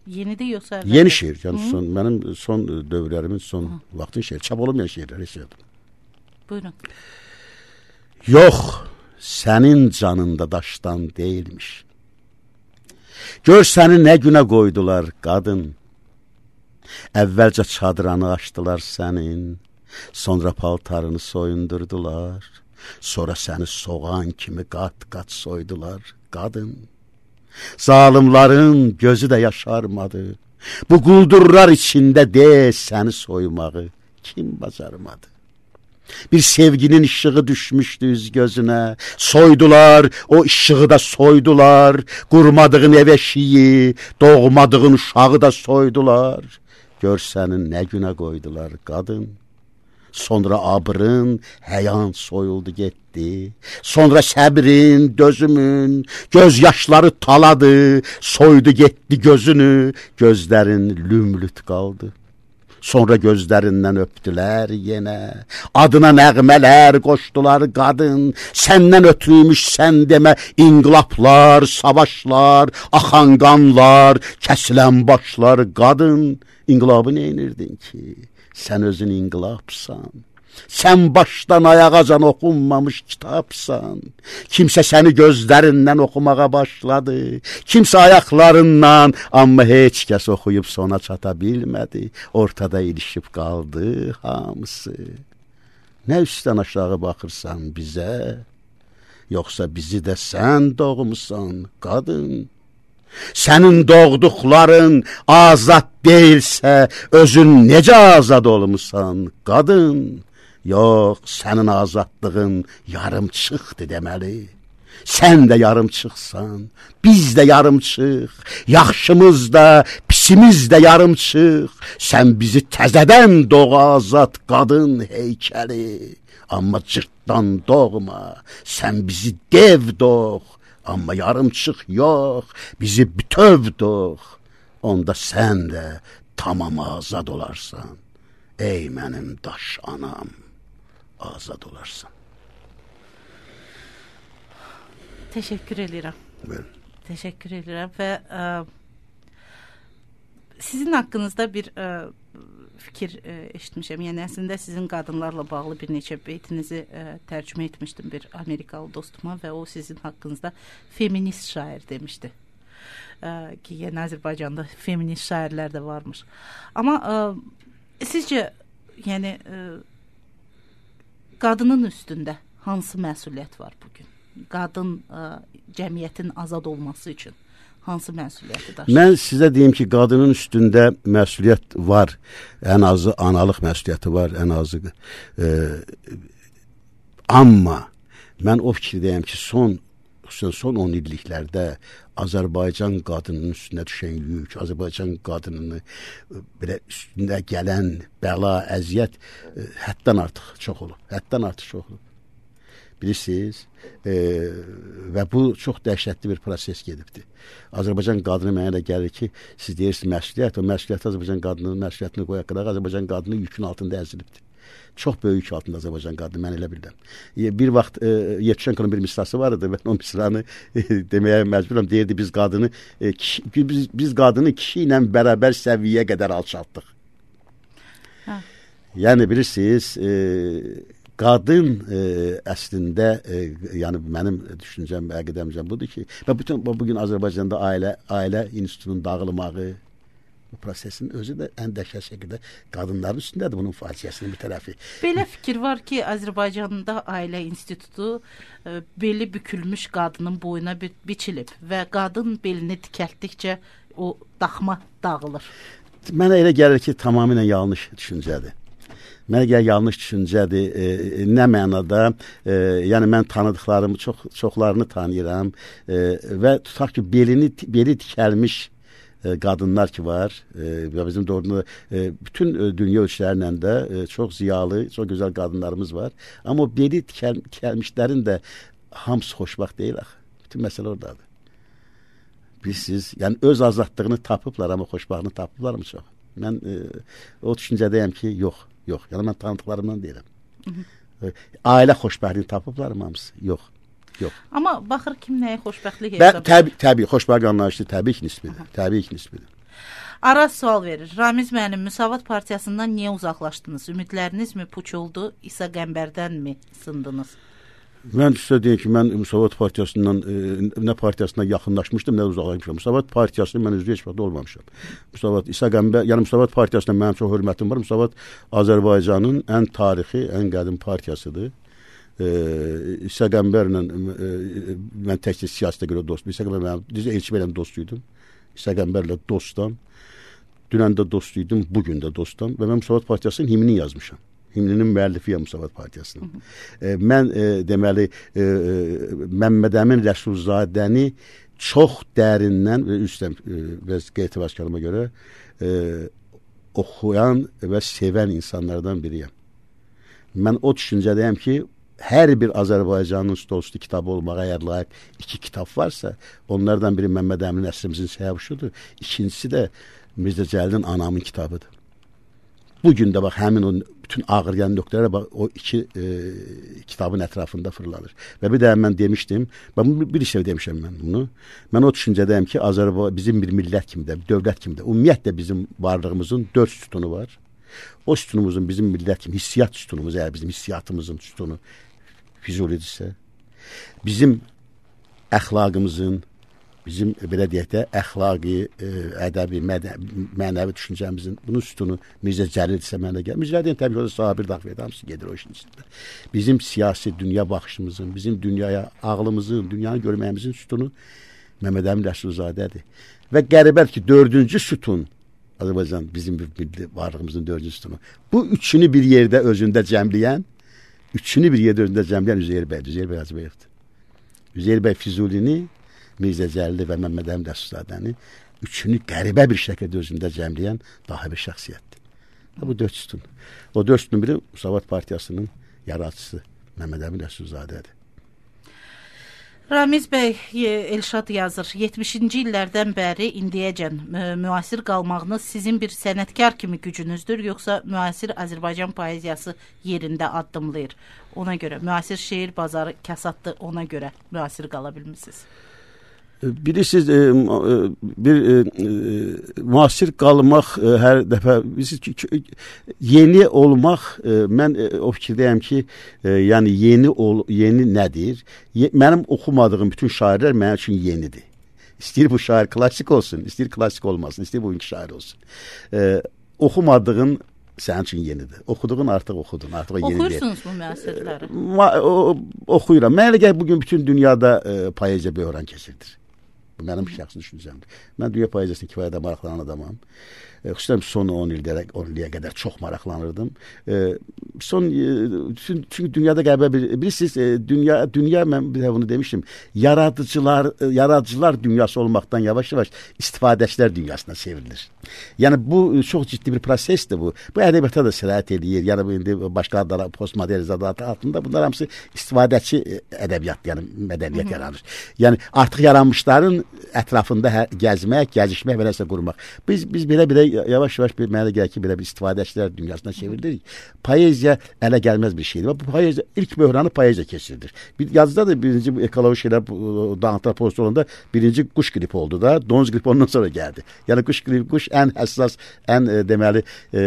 A: Yenidir yoxsa əvvəldir?
B: Yeni şeir. Yəni son, mənim son dövrlərimin son Hı. vaxtın şeiri. Çap olmayan şeirləri yazdım.
A: Buyurun.
B: Yox, sənin canında daşdan deyilmiş. Gör səni nə günə qoydular qadın. Əvvəlcə çadranı açdılar sənin, sonra paltarını soyundurdular. Sonra səni soğan kimi qat-qat soydular qadın. Zalimların gözü də yaşarmadı. Bu quldurlar içində de səni soymağı kim bacarmadı? Bir sevginin ışığı düşmüşdü üz gözünə. Soydular, o ışığı da soydular. Qurmadığın ev eşiyi, doğmadığın uşağı da soydular. Gör səni nə günə qoydular qadın. Sonra abrın, həyan soyuldu getdi. Sonra səbrin, dözümün, göz yaşları taladı. Soydu getdi gözünü, gözlərin lümlüt qaldı. Sonra gözlərindən öpdülər yenə. Adına nəğmələr qoşdular qadın. Səndən ötürüymüş sən demə inqilablar, savaşlar, axan qanlar, kəsilən başlar qadın. İnqilabı neynirdin ki? Sən özün inqilabsan. Sən başdan ayağacan oxunmamış kitabsan. Kimsə səni gözlərindən oxumağa başladı. Kimsə ayaqlarından, amma heç kəs oxuyub sona çata bilmədi. Ortada ilişib qaldı hamısı. Nə üstdən aşağı baxırsan bizə? Yoxsa bizi də sən doğmusan qadın? Sənin doğduqların azad deyilsə, özün necə azad olmusan qadın? Yox, sənin azadlığın yarımçıqdır deməli. Sən də yarımçıqsan, biz də yarımçıq, yaxşımız da, pisimiz də yarımçıq. Sən bizi təzədən doğ azad qadın heykəli. Amma cırtdan doğma, sən bizi dev doğ. Amma yarımçıq yox, bizi bütöv doğ. Onda sən də tamam azad olarsan. Ey mənim daş anam, azad olarsan.
A: Teşekkür edirəm.
B: Buyurun.
A: Teşekkür edirəm və ə, sizin haqqınızda bir ə, fikir ə, eşitmişəm. Yəni əslində sizin qadınlarla bağlı bir neçə beytinizi ə, tərcümə etmişdim bir Amerikalı dostuma və o sizin haqqınızda feminist şair demişdi. Ə, ki, yəni Azərbaycanda feminist şairlər də varmış. Amma ə, sizcə yəni ə, qadının üstündə hansı məsuliyyət var bugün? Qadın ə, cəmiyyətin azad olması üçün hansı məsuliyyəti daşıyır?
B: Mən sizə deyim ki, qadının üstündə məsuliyyət var. Ən azı analıq məsuliyyəti var, ən azı. E, amma mən o fikirdəyəm ki, son son on illiklərdə Azərbaycan qadının üstünə düşən yük, Azərbaycan qadınını belə üstündə gələn bəla, əziyyət e, həddən artıq çox olub. Həddən artıq çox olub. Bilirsiniz, e, və bu çox dəhşətli bir proses gedibdir. Azərbaycan qadını mənə elə gəlir ki, siz deyirsiniz məsuliyyət, o məsuliyyət Azərbaycan qadının məsuliyyətini qoyaq qədər Azərbaycan qadının yükün altında əzilibdir. Çox böyük yük altında Azərbaycan qadını, mən elə bilirəm. Bir vaxt e, Yevçenkonun bir misrası var idi, mən o misranı e, deməyə məcburam. Deyirdi, biz qadını e, kişi, biz, biz qadını kişi ilə bərabər səviyyəyə qədər alçaltdıq. Hə. Yəni bilirsiniz, e, qadın e, əslində, e, yəni mənim düşüncəm, əqidəmcəm budur ki, və bütün bugün Azərbaycanda ailə, ailə institutunun dağılmağı, bu prosesin özü də ən dəhşət şəkildə qadınların üstündədir, bunun faciəsinin bir tərəfi.
A: Belə fikir var ki, Azərbaycanda ailə institutu e, beli bükülmüş qadının boyuna bi biçilib və qadın belini dikəltdikcə o daxma dağılır.
B: Mənə elə gəlir ki, tamamilə yanlış düşüncədir. Mənə gəlir yanlış düşüncədir. E, nə mənada, e, yəni mən tanıdıqlarımı çox çoxlarını tanıyıram e, və tutaq ki, belini beli dikəlmiş qadınlar ki var və bizim doğrudan e, bütün e, dünya ölçülərlə də e, çox ziyalı, çox gözəl qadınlarımız var. Amma o beli dikəl, dikəlmişlərin də hamısı xoşbaxt deyil axı. Bütün məsələ oradadır. Bilirsiniz, yəni öz azadlığını tapıblar, amma xoşbaxtını tapıblar mı çox? Mən e, o düşüncədəyəm ki, yox, yox. Yəni mən tanıdıqlarımdan deyirəm. Hı -hı. Ailə xoşbəxtliyini tapıblar mı hamısı? Yox. Yox.
A: Amma baxır kim nəyə xoşbəxtlik hesab edir.
B: Təbii, təbii, xoşbəxt anlayışı təbii ki, nisbidir. Təbii ki, nisbidir.
A: Araz sual verir. Ramiz müəllim, Müsavat Partiyasından niyə uzaqlaşdınız? Ümidləriniz mi puç oldu? İsa Qəmbərdən mi sındınız?
B: Mən sizə deyim ki, mən Müsavat Partiyasından e, nə partiyasına yaxınlaşmışdım, nə uzaqlaşmışam. Müsavat Partiyasının mən üzvü heç vaxt olmamışam. Müsavat İsa Qəmbər, yəni Müsavat Partiyasına mənim çox hörmətim var. Müsavat Azərbaycanın ən tarixi, ən qədim partiyasıdır. E, İsa Qəmbərlə e, mən təkcə siyasətə görə dostum. İsa Qəmbər mənim, düzə Elçi bəylə dostuydum. İsa Qəmbərlə dostam. Dünən də dostuydum, bugün də dostam. Və mən Müsavat Partiyasının himnini yazmışam. Himninin müəllifiyəm Müsavat Partiyasının. E, mən e, deməli e, Məmməd Əmin Rəsulzadəni çox dərindən və üstəm və qeyti başkanıma görə e, oxuyan və sevən insanlardan biriyəm. Mən o düşüncədəyəm ki, hər bir Azərbaycanın stolüstü kitabı olmağa əgər layiq iki kitab varsa, onlardan biri Məmməd Əmin əsrimizin Səyavuşudur. İkincisi də Mirzə Cəlilin Anamın kitabıdır. Bugün də bax, həmin o bütün ağrıyan nöqtələrə bax, o iki e, kitabın ətrafında fırlanır. Və bir də mən demişdim, ben bir şey demişəm mən bunu. Mən o düşüncədəyim ki, Azərbaycan bizim bir millət kimi də, bir dövlət kimi də, ümumiyyətlə bizim varlığımızın dörd sütunu var. O sütunumuzun bizim millət kimi, hissiyat sütunumuz, eğer bizim hissiyatımızın sütunu Füzulidirsə, bizim əxlaqımızın, bizim belə deyək də əxlaqi, ə, ədəbi, mənəvi düşüncəmizin bunun sütunu Mirzə Cəlildirsə mənə gəlir. Mirzə Cəlil təbii ki, o da Sabir Dağviyədə hamısı gedir o işin içində. Bizim siyasi dünya baxışımızın, bizim dünyaya, ağlımızın, dünyanı görməyimizin sütunu Məmməd Əmin Rəsulzadədir. Və qəribədir ki, dördüncü sütun Azərbaycan bizim bir varlığımızın dördüncü sütunu. Bu üçünü bir yerdə özündə cəmləyən, üçünü bir yerdə özündə cəmləyən Üzeyir bəydir, Üzeyir bəy Hacıbəyevdir. Üzeyir bəy Füzulini, Mirzə Cəlili və Məmməd Əmin Rəsulzadəni üçünü qəribə bir şəkildə özündə cəmləyən daha bir şəxsiyyətdir. Bu dörd sütun. O dörd sütun biri Müsavat Partiyasının yaradıcısı Məmməd Əmin Rəsulzadədir.
A: Ramiz bəy, Elşad yazır, yetmişinci illərdən bəri indiyəcən müasir qalmağınız sizin bir sənətkar kimi gücünüzdür, yoxsa müasir Azərbaycan poeziyası yerində addımlayır? Ona görə, müasir şeir bazarı kəsaddır, ona görə müasir qala bilmişsiniz.
B: Bilirsiniz, e, bir e, müasir qalmaq e, hər dəfə yeni olmaq, e, mən e, o fikirdəyəm ki, e, yəni yeni ol, yeni nədir? Ye, mənim oxumadığım bütün şairlər mənim üçün yenidir. İstəyir bu şair klassik olsun, istəyir klassik olmasın, istəyir bugünkü şair olsun. E, oxumadığın sənin üçün yenidir. Oxuduğun artıq oxudun, artıq o yeni deyil.
A: Oxuyursunuz bu müasirləri?
B: E, oxuyuram. Mənə gəlir bugün bütün dünyada e, poeziya böhran keçirdir. Bu mənim şəxsi düşüncəmdir. Mən dünya poeziyasına kifayətlə maraqlanan adamam. E, xüsusən son on illərə, on illiyə qədər çox maraqlanırdım. E, son e, çünki dünyada qəribə bir bilirsiniz, e, dünya dünya mən bir də bunu demişdim. Yaradıcılar, e, yaradıcılar dünyası olmaqdan yavaş-yavaş istifadəçilər dünyasına çevrilir. Yəni bu çox ciddi bir prosesdir bu. Bu ədəbiyyata da sirayət edir. Yəni bu indi başqa adlar, postmodernizm adı altında bunlar hamısı istifadəçi ədəbiyyat, yəni mədəniyyət yaranır. Yəni artıq yaranmışların ətrafında hə, gəzmək, gəzişmək və nəsə qurmaq. Biz biz belə-belə yavaş-yavaş bir mənə gəlir ki, belə bir istifadəçilər dünyasına çevrilir. Poeziya ələ gəlməz bir şeydir. Bu poeziya ilk böhranı poeziya keçirdir. Bir yazıda da birinci bu ekoloji şeylər dağıntılar pozisi olanda birinci quş qripi oldu da, donuz qripi ondan sonra gəldi. Yəni quş qripi, quş ən həssas, ən e, deməli e,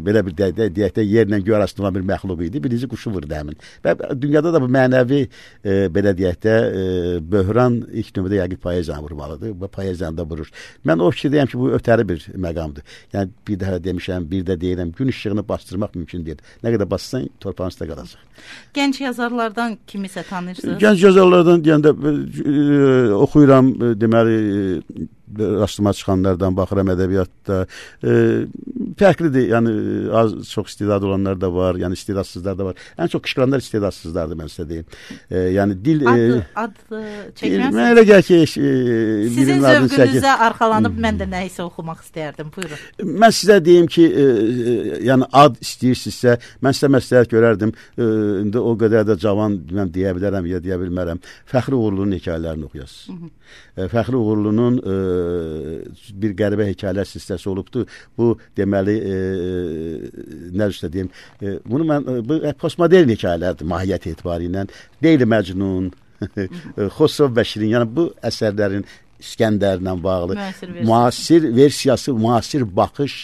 B: belə bir deyək də yerlə göy arasında olan bir məxluq idi. Birinci quşu vurdu həmin. Və dünyada da bu mənəvi e, belə deyək də e, böhran ilk növbədə yəqin poeziyanı vurmalıdır. Bu poeziyanı da vurur. Mən o fikirdəyəm ki, bu ötəri bir məqamdır. Yəni bir daha demişəm, bir də deyirəm, gün işığını bastırmaq mümkün deyil. Nə qədər bassan torpağın üstə qalacaq.
A: Gənc yazarlardan kimisə tanıyırsınız?
B: Gənc yazarlardan deyəndə e, oxuyuram, e, deməli e, rastıma çıxanlardan baxıram ədəbiyyatda. E, fərqlidir. Yəni az çox istedadlı olanlar da var, yəni istedadsızlar da var. Ən çox qışqıranlar istedadsızlardır, mən sizə deyim. E, yəni dil
A: ad,
B: e,
A: ad çəkməzsiniz.
B: Mən elə gəl ki, e,
A: sizin zövqünüzə arxalanıb mən də nə isə oxumaq istəyərdim. Buyurun.
B: Mən sizə deyim ki, e, e, yəni ad istəyirsinizsə, mən sizə məsləhət görərdim. E, indi o qədər də cavan mən deyə bilərəm ya deyə bilmərəm. Fəxri Uğurlunun hekayələrini oxuyasınız. E, Fəxri Uğurlunun e, bir qəribə hekayələr silsiləsi olubdu. Bu deməli e, nə üstə deyim, e, bunu mən bu postmodern hekayələrdir mahiyyət etibarı ilə. Leyli Məcnun, Xosrov və Şirin, yəni bu əsərlərin İskəndərlə bağlı müasir, müasir versiyası, müasir baxış.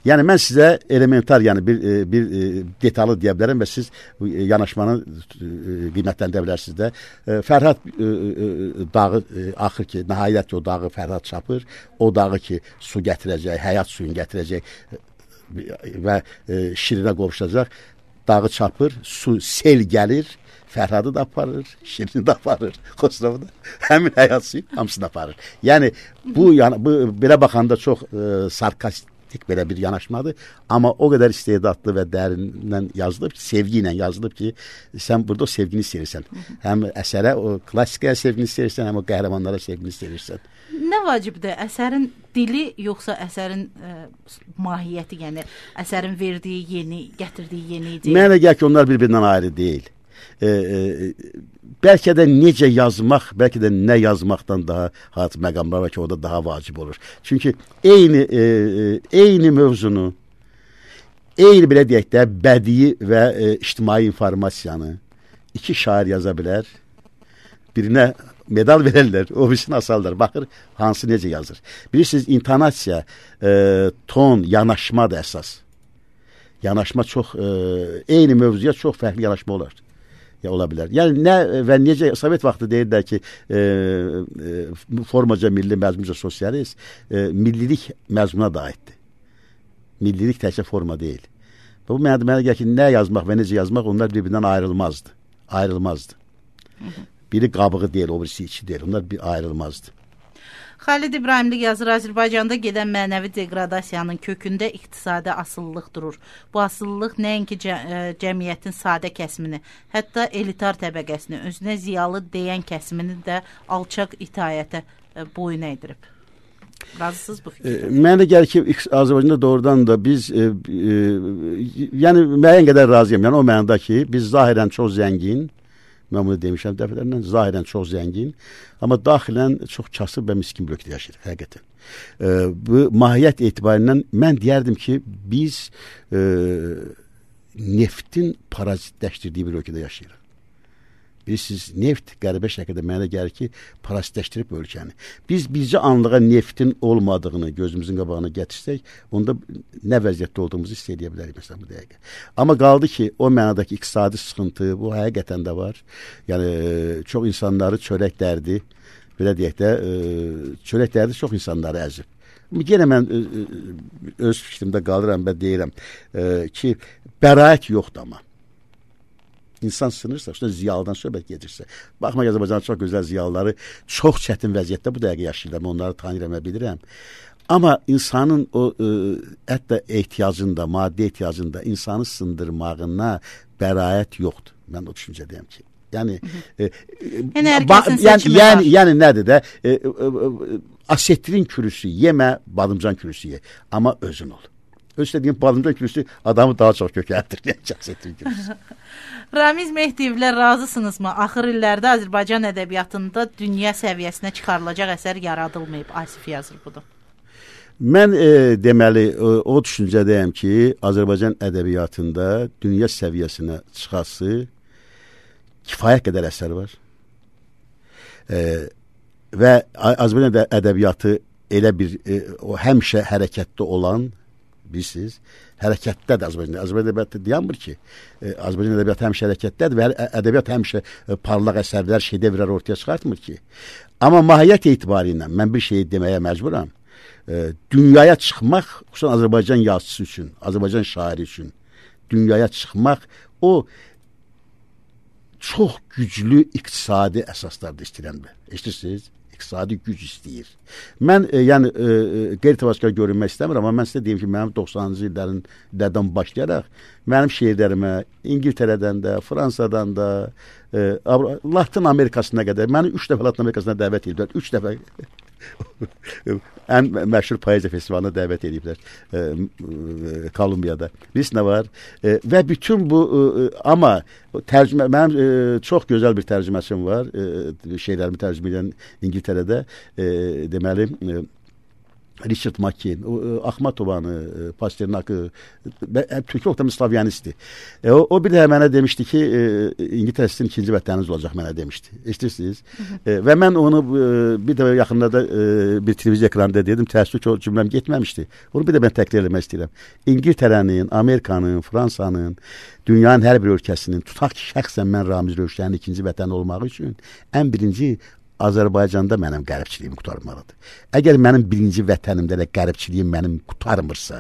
B: Yəni mən sizə elementar, yəni bir bir detallı deyə bilərəm və siz yanaşmanı qiymətləndirə bilərsiniz də. Fərhad dağı axır ki, nəhayət ki o dağı Fərhad çapır. O dağı ki su gətirəcək, həyat suyunu gətirəcək və Şirinə qovuşacaq. Dağı çapır, su sel gəlir. Fərhadı da aparır, Şirini də aparır, Xosrovu da. Həmin həyat suyu hamısını aparır. Yəni bu yəni bu belə baxanda çox e, sarkastik belə bir yanaşmadır, amma o qədər istedadlı və dərindən yazılıb ki, sevgi ilə yazılıb ki, sən burada o sevgini istəyirsən. Həm əsərə, o klassikaya sevgini istəyirsən, həm o qəhrəmanlara sevgini istəyirsən.
A: Nə vacibdir? Əsərin dili yoxsa əsərin ə, mahiyyəti, yəni əsərin verdiyi yeni, gətirdiyi yeni ideya?
B: Mənə gəlir ki, onlar bir-birindən ayrı deyil. E, e, bəlkə də necə yazmaq, bəlkə də nə yazmaqdan daha hat məqamlar var ki, o da daha vacib olur. Çünki eyni e, eyni mövzunu, eyni belə deyək də bədii və e, ictimai informasiyanı iki şair yaza bilər. Birinə medal verərlər, o birisini asarlar. Baxır, hansı necə yazır. Bilirsiniz, intonasiya, e, ton, yanaşma da əsas. Yanaşma çox, e, eyni mövzuya çox fərqli yanaşma olar. Ya ola bilər. Yəni nə və necə Sovet vaxtı deyirlər ki, e, e, formaca milli, məzmunca sosialist, e, millilik məzmuna da aiddir. Millilik təkcə forma deyil. Və bu mənə mənə gəlir ki, nə yazmaq və necə yazmaq onlar bir-birindən ayrılmazdı. Ayrılmazdı. Hı -hı. Biri qabığı deyil, o birisi içi deyil. Onlar bir ayrılmazdı.
A: Xalid İbrahimli yazır, Azərbaycanda gedən mənəvi deqradasiyanın kökündə iqtisadi asıllıq durur. Bu asıllıq nəinki cə cəmiyyətin sadə kəsimini, hətta elitar təbəqəsini, özünə ziyalı deyən kəsimini də alçaq itayətə boyun əydirib. Razısınız bu fikirdə? E, mənə gəlir ki, Azərbaycanda doğrudan da biz e, e, yəni müəyyən qədər razıyam. Yəni o mənada ki, biz zahirən çox zəngin, mən bunu demişəm dəfələrlə, zahirən çox zəngin, amma daxilən çox kasıb və miskin bir ölkədə yaşayırıq, həqiqətən. E, bu mahiyyət etibarindən mən deyərdim ki, biz e, neftin parazitləşdirdiyi bir ölkədə yaşayırıq. Bilirsiniz, neft qəribə şəkildə mənə gəlir ki, parazitləşdirib ölkəni. Biz bircə anlığa neftin olmadığını gözümüzün qabağına gətirsək, onda nə vəziyyətdə olduğumuzu hiss edə bilərik məsələn bu dəqiqə. Amma qaldı ki, o mənadakı iqtisadi sıxıntı, bu həqiqətən də var. Yəni çox insanları çörək dərdi, belə deyək də, çörək dərdi çox insanları əzib. Yenə mən öz fikrimdə qalıram və deyirəm ki, bəraət yoxdur amma. İnsan sınırsa, işte ziyalıdan söhbət gedirsə. Baxma, Azərbaycanın çox gözəl ziyalıları çox çətin vəziyyətdə bu dəqiqə yaşayırlar. Onları tanıyıram və bilirəm. Amma insanın o e, hətta ehtiyacında, maddi ehtiyacında insanı sındırmağına bəraət yoxdur. Mən o düşüncədəyəm ki. Yəni, e, yəni, yəni,
B: yəni, yəni, yəni nədir də? E, e, e, asetrin kürüsü yemə, badımcan kürüsü ye. Amma özün ol. Öz dediğim badımcan kürüsü adamı daha çox kökəldir. Asetrin kürüsü.
A: Ramiz Mehdiyevlə razısınızmı? Axır illərdə Azərbaycan ədəbiyyatında dünya səviyyəsinə çıxarılacaq əsər yaradılmayıb. Asif yazır budur.
B: Mən e, deməli o, o düşüncədəyəm ki, Azərbaycan ədəbiyyatında dünya səviyyəsinə çıxası kifayət qədər əsər var. E, və Azərbaycan ədəbiyyatı elə bir e, o həmişə hərəkətdə olan, bilirsiniz, hərəkətdədir Azərbaycan. Azərbaycan ədəbiyyatı dayanmır ki, e, Azərbaycan ədəbiyyatı həmişə hərəkətdədir və ədəbiyyat həmişə e, parlaq əsərlər, şedevrlər ortaya çıxartmır ki. Amma mahiyyət etibarı ilə mən bir şey deməyə məcburam. E, dünyaya çıxmaq, xüsusən Azərbaycan yazıçısı üçün, Azərbaycan şairi üçün dünyaya çıxmaq o çox güclü iqtisadi əsaslarda istəyirəm. Eşidirsiniz? İqtisadi güc istəyir. Mən e, yəni e, qeyri-təvəkkül görünmək istəmirəm, amma mən sizə deyim ki, mənim doxsanıncı illərin illərdən başlayaraq mənim şeirlərimə İngiltərədən də, Fransadan da, e, Latin Amerikasına qədər, məni üç dəfə Latin Amerikasına dəvət ediblər. Üç dəfə ən məşhur poeziya festivalına dəvət ediblər e, e, Kolumbiyada. Biz nə var? E, və bütün bu e, amma tərcümə mənim e, çox gözəl bir tərcüməçim var. E, şeylərimi tərcümə edən İngiltərədə e, deməli e, Richard Makin, Axmatovanı, Pasternakı, Türkiyə oxudan Slavyanistdir. E, o, o bir də mənə demişdi ki, e, İngiltərə sizin ikinci vətəniniz olacaq, mənə demişdi. Eşitirsiniz? E, və mən onu e, bir də yaxınlarda e, bir televiziya ekranında dedim, təəssüf ki, o cümləm getməmişdi. Onu bir də mən təkrar eləmək istəyirəm. İngiltərənin, Amerikanın, Fransanın, dünyanın hər bir ölkəsinin, tutaq ki, şəxsən mən Ramiz Rövşənin ikinci vətəni olmağı üçün ən birinci Azərbaycanda mənim qəribçiliyimi qurtarmalıdır. Əgər mənim birinci vətənimdə də qəribçiliyim mənim qurtarmırsa,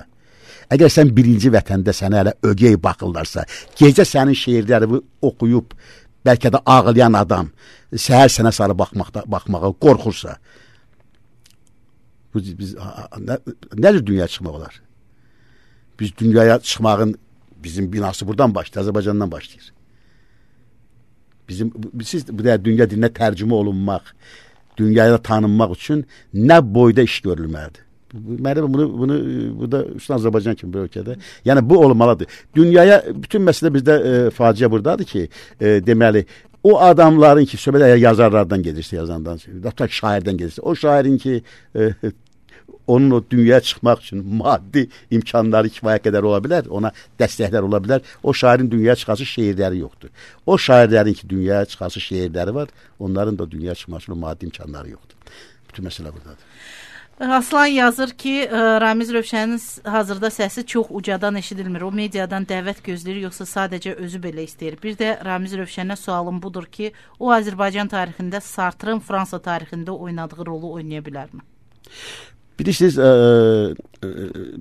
B: əgər sən birinci vətəndə sənə hələ ögey baxırlarsa, gecə sənin şeirlərini oxuyub, bəlkə də ağlayan adam səhər sənə sarı baxmaqda, baxmağa qorxursa, biz, biz, nə, nədir dünyaya çıxmaq olar? Biz dünyaya çıxmağın bizim binası buradan başlayır, Azərbaycandan başlayır. Bizim siz bu da dünya dilinə tərcümə olunmaq, dünyaya tanınmaq üçün nə boyda iş görülməlidir. Mənim bunu bunu bu da üstün Azərbaycan kimi bir ölkədə. Yəni bu olmalıdır. Dünyaya bütün məsələ bizdə e, faciə burdadır ki, e, deməli o adamların ki, söhbət əgər yazarlardan gedirsə, yazandan, hətta şairdən gedirsə, o şairin ki e, onun o dünyaya çıxmaq üçün maddi imkanları kifayət qədər ola bilər, ona dəstəklər ola bilər. O şairin dünyaya çıxası şeirləri yoxdur. O şairlərin ki, dünyaya çıxası şeirləri var, onların da dünyaya çıxmaq üçün maddi imkanları yoxdur. Bütün məsələ buradadır.
A: Aslan yazır ki, Ramiz Rövşənin hazırda səsi çox ucadan eşidilmir. O mediadan dəvət gözləyir, yoxsa sadəcə özü belə istəyir. Bir də Ramiz Rövşənə sualım budur ki, o Azərbaycan tarixində Sartrın Fransa tarixində oynadığı rolu oynaya bilərmi?
B: Bilirsiniz, ə, ə,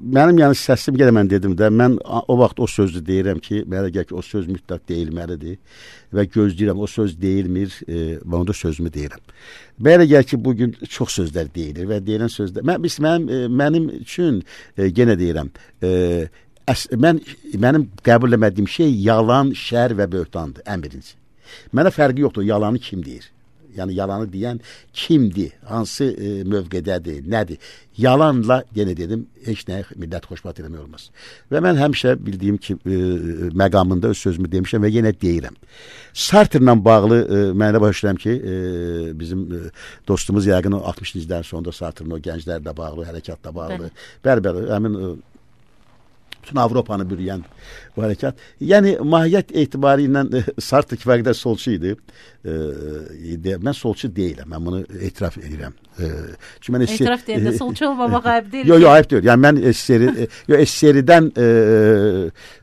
B: mənim yəni səsim gələ mən dedim də, mən o vaxt o sözü deyirəm ki, mənə gəl ki, o söz mütləq deyilməlidir və gözləyirəm, o söz deyilmir, e, və onda sözümü deyirəm. Mənə gəl ki, bugün çox sözlər deyilir və deyilən sözlər, mən, biz, mənim, e, mənim üçün e, yenə deyirəm, e, əs, mən, mənim qəbul etmədiyim şey yalan, şər və böhtandır, ən birinci. Mənə fərqi yoxdur, yalanı kim deyir? Yəni yalanı deyən kimdir, hansı e, mövqedədir, nədir? Yalanla, yenə dedim, heç nəyə millət xoşbat eləmək olmaz. Və mən həmişə bildiyim ki, e, məqamında öz sözümü demişəm və yenə deyirəm. Sartrla bağlı e, mən də başlayıram ki, e, bizim e, dostumuz yəqin o altmışıncı illərin sonunda Sartrın o gənclərlə bağlı, hərəkatla bağlı, bəli-bəli, həmin e, bütün Avropanı bürüyən bu hərəkat. Yəni, mahiyyət etibarı ilə e, Sartre kifayət qədər solçu idi. E, de, mən solçu deyiləm, mən bunu etiraf edirəm. E, çünki mən
A: etiraf deyəndə solçu olmamaq ayıb deyil.
B: Yox, yox, ayıb deyil. Yəni, mən S S R-i, e, S S R-dən e,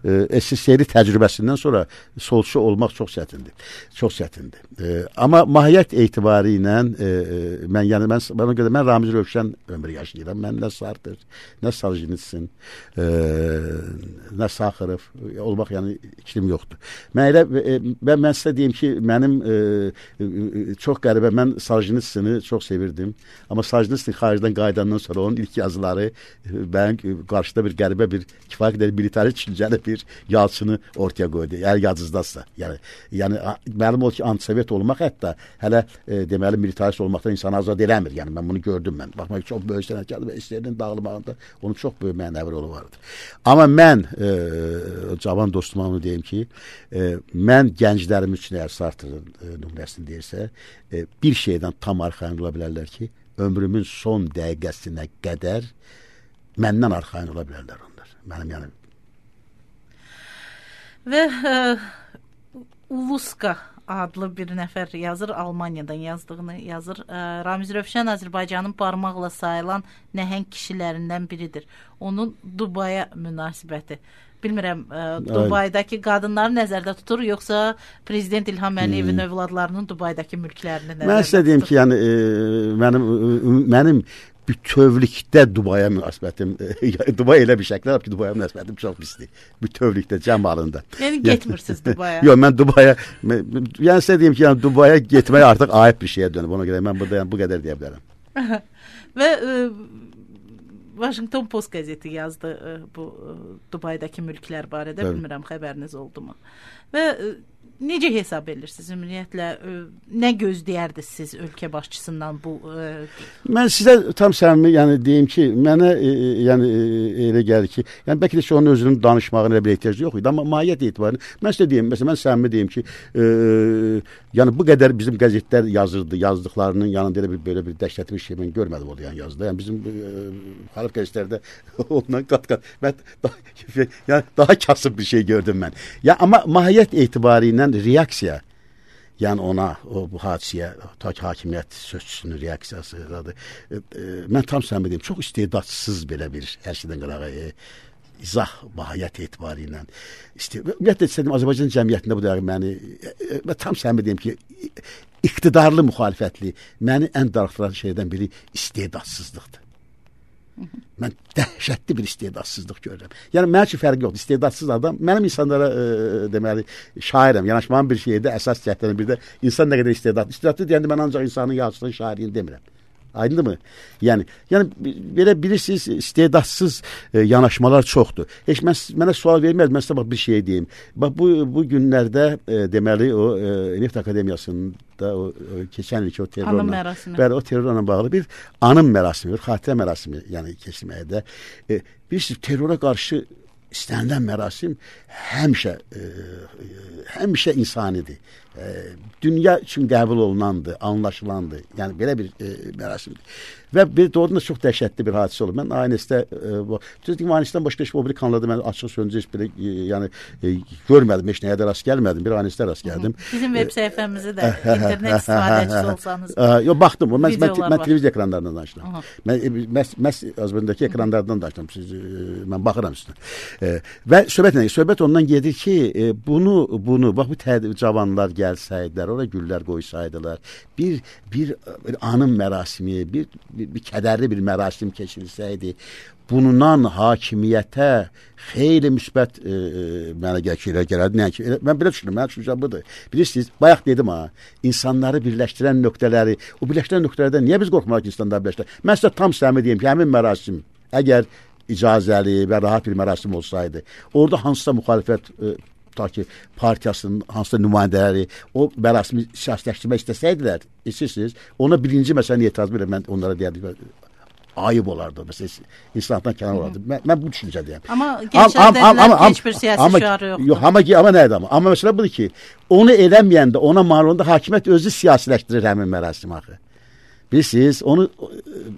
B: e, S S R-i təcrübəsindən sonra solçu olmaq çox çətindir. Çox çətindir. E, amma mahiyyət etibarı ilə e, mən, yəni, mən, bana görə mən Ramiz Rövşən ömrü yaşayıram. Mən nə Sartre, nə Soljenitsin, e, nə Saxarov olmaq, yəni iklim yoxdur. Mən elə, e, mən, mən sizə deyim ki, mənim e, e, çox qəribə, mən Soljenitsini çox sevirdim. Amma Soljenitsin xaricdən qayıdandan sonra onun ilk yazıları e, mənim qarşıda bir qəribə bir kifayət qədər militari düşüncəli bir yazısını ortaya qoydu. Yəni yazızdasa. Yəni, yəni mənim o ki, antisovet olmaq hətta hələ e, deməli militarist olmaqdan insanı azad eləmir. Yəni mən bunu gördüm mən. Baxmaq çox böyük sənətkardır və S S R-nin dağılmağında onun çox böyük mənəvi rolu vardır. Amma mən e, cavan dostuma onu deyim ki, e, mən gənclərim üçün əgər Sartrın e, nümunəsini deyirsə, e, bir şeydən tam arxayın ola bilərlər ki, ömrümün son dəqiqəsinə qədər məndən arxayın ola bilərlər onlar. Mənim yəni.
A: Və ə, Uluska adlı bir nəfər yazır, Almaniyadan yazdığını yazır. Ə, Ramiz Rövşən Azərbaycanın barmaqla sayılan nəhəng kişilərindən biridir. Onun Dubaya münasibəti. Bilmirəm, ə, Dubaydakı qadınları nəzərdə tutur, yoxsa Prezident İlham Əliyevin hmm. övladlarının Dubaydakı mülklərini nəzərdə tutur?
B: Mən sizə deyim ki, yəni e, mənim mənim bütövlükdə Dubaya münasibətim, Dubay elə bir şəkil var ki, Dubaya münasibətim çox pisdir. Bütövlükdə, cəmalında.
A: Yəni getmirsiniz Dubaya?
B: Yox, mən Dubaya, yəni sizə deyim ki, yəni Dubaya getmək artıq ayıb bir şeyə dönüb. Ona görə mən burada yəni, bu qədər deyə bilərəm.
A: Və ə, Washington Post qəzeti yazdı ə, bu ə, Dubaydakı mülklər barədə. Bəli. Bilmirəm, xəbəriniz oldu mu? Və ə, necə hesab edirsiniz ümumiyyətlə, ə, nə gözləyərdiniz siz ölkə başçısından bu? Ə...
B: Mən sizə tam səmimi yəni deyim ki, mənə e, yəni e, elə gəlir ki, yəni bəlkə də ki, onun özünün danışmağına elə bir ehtiyacı yox idi, amma mahiyyət etibarı mən sizə deyim, məsələn, mən səmimi deyim ki, e, yəni bu qədər bizim qəzetlər yazırdı, yazdıqlarının yanında elə bir belə bir dəhşətli bir şey mən görmədim orada yəni yazdı. Yəni bizim e, xalq qəzetlərdə ondan qat-qat mən daha, yəni daha kasıb bir şey gördüm mən. Ya amma mahiyyət etibarı ilə reaksiya, yəni ona, o bu hadisəyə, ta ki hakimiyyət sözçüsünün reaksiyasıdır. E, e, mən tam səmimi deyim, çox istedadsız belə bir hər şeydən qırağa e, izah mahiyyət etibarı ilə. Ümumiyyətlə istədim, Azərbaycan cəmiyyətində bu dəqiq məni, e, e, tam səmimi deyim ki, iqtidarlı müxalifətli, məni ən darıxdıran şeydən biri istedadsızlıqdır. Mən dəhşətli bir istedadsızlıq görürəm. Yəni mənim üçün fərqi yoxdur. İstedadsız adam, mənim insanlara e, deməli şairəm. Yanaşmağım bir şeydə əsas cəhdlərin bir də insan nə qədər istedadlı. İstedadlı deyəndə mən ancaq insanın yazıçılığın şairini demirəm. Aydındır mı? Yəni, yəni belə bilirsiniz, istedadsız e, yanaşmalar çoxdur. Heç mən, mənə sual verməz, mən sizə bax bir şey deyim. Bax bu, bu günlərdə e, deməli o e, Neft Akademiyasında o, o keçən ilki o terrorla, bəli, o terrorla bağlı bir anım mərasimi, bir xatirə mərasimi yəni keçməkdə. E, bilirsiniz, terrora qarşı istənilən mərasim həmişə e, həmişə insanidir. E, dünya üçün qəbul olunandır, anlaşılandır. Yəni belə bir e, mərasimdir. Və bir doğrudan da çox dəhşətli bir hadisə olub. Mən A N S-də e, bu düzdür, A N S-dən başqa heç o biri kanalda mən açıq sözünüzü heç belə e, yəni e, görmədim, heç nəyə də rast gəlmədim. Bir A N S-də rast gəldim.
A: Bizim veb səhifəmizi də internet istifadəçisi olsanız.
B: Yox, baxdım. Mən mən, mən televiziya ekranlarından danışıram. Mən məs məs Azərbaycandakı ekranlardan danışıram. Siz e, mən baxıram üstünə. E, və söhbət nə? Söhbət ondan gedir ki, e, bunu bunu bax bu tədbir cavanlar gəlsəydilər, ora güllər qoysaydılar, bir bir, bir anım mərasimi, bir bir, bir kədərli bir mərasim keçirilsəydi, bundan hakimiyyətə xeyli müsbət e, mənə gəlir gələrdi. Nə ki, mən belə düşünürəm, mənim düşüncəm budur. Bilirsiniz, bayaq dedim ha, insanları birləşdirən nöqtələri, o birləşdirən nöqtələrdən niyə biz qorxmalıyıq ki, insanları birləşdirək? Mən sizə tam səmimi deyim ki, həmin mərasim, əgər icazəli və rahat bir mərasim olsaydı, orada hansısa müxalifət e, ta ki partiyasının hansısa nümayəndələri o mərasimi siyasiləşdirmək istəsəydilər, isirsiniz, ona birinci məsələn etiraz verir, mən onlara deyərdim, ayıb olardı, məsələn, insanlıqdan kənar olardı. Mən, mən bu düşüncədəyəm.
A: Amma gençlər dedilər ki, heç bir siyasi
B: amma,
A: şüarı yoxdur.
B: Yox, amma, amma nə edəm? Amma məsələ budur ki, onu eləməyəndə, ona mal olanda hakimiyyət özü siyasiləşdirir həmin mərasimi axı. Bilirsiniz, onu,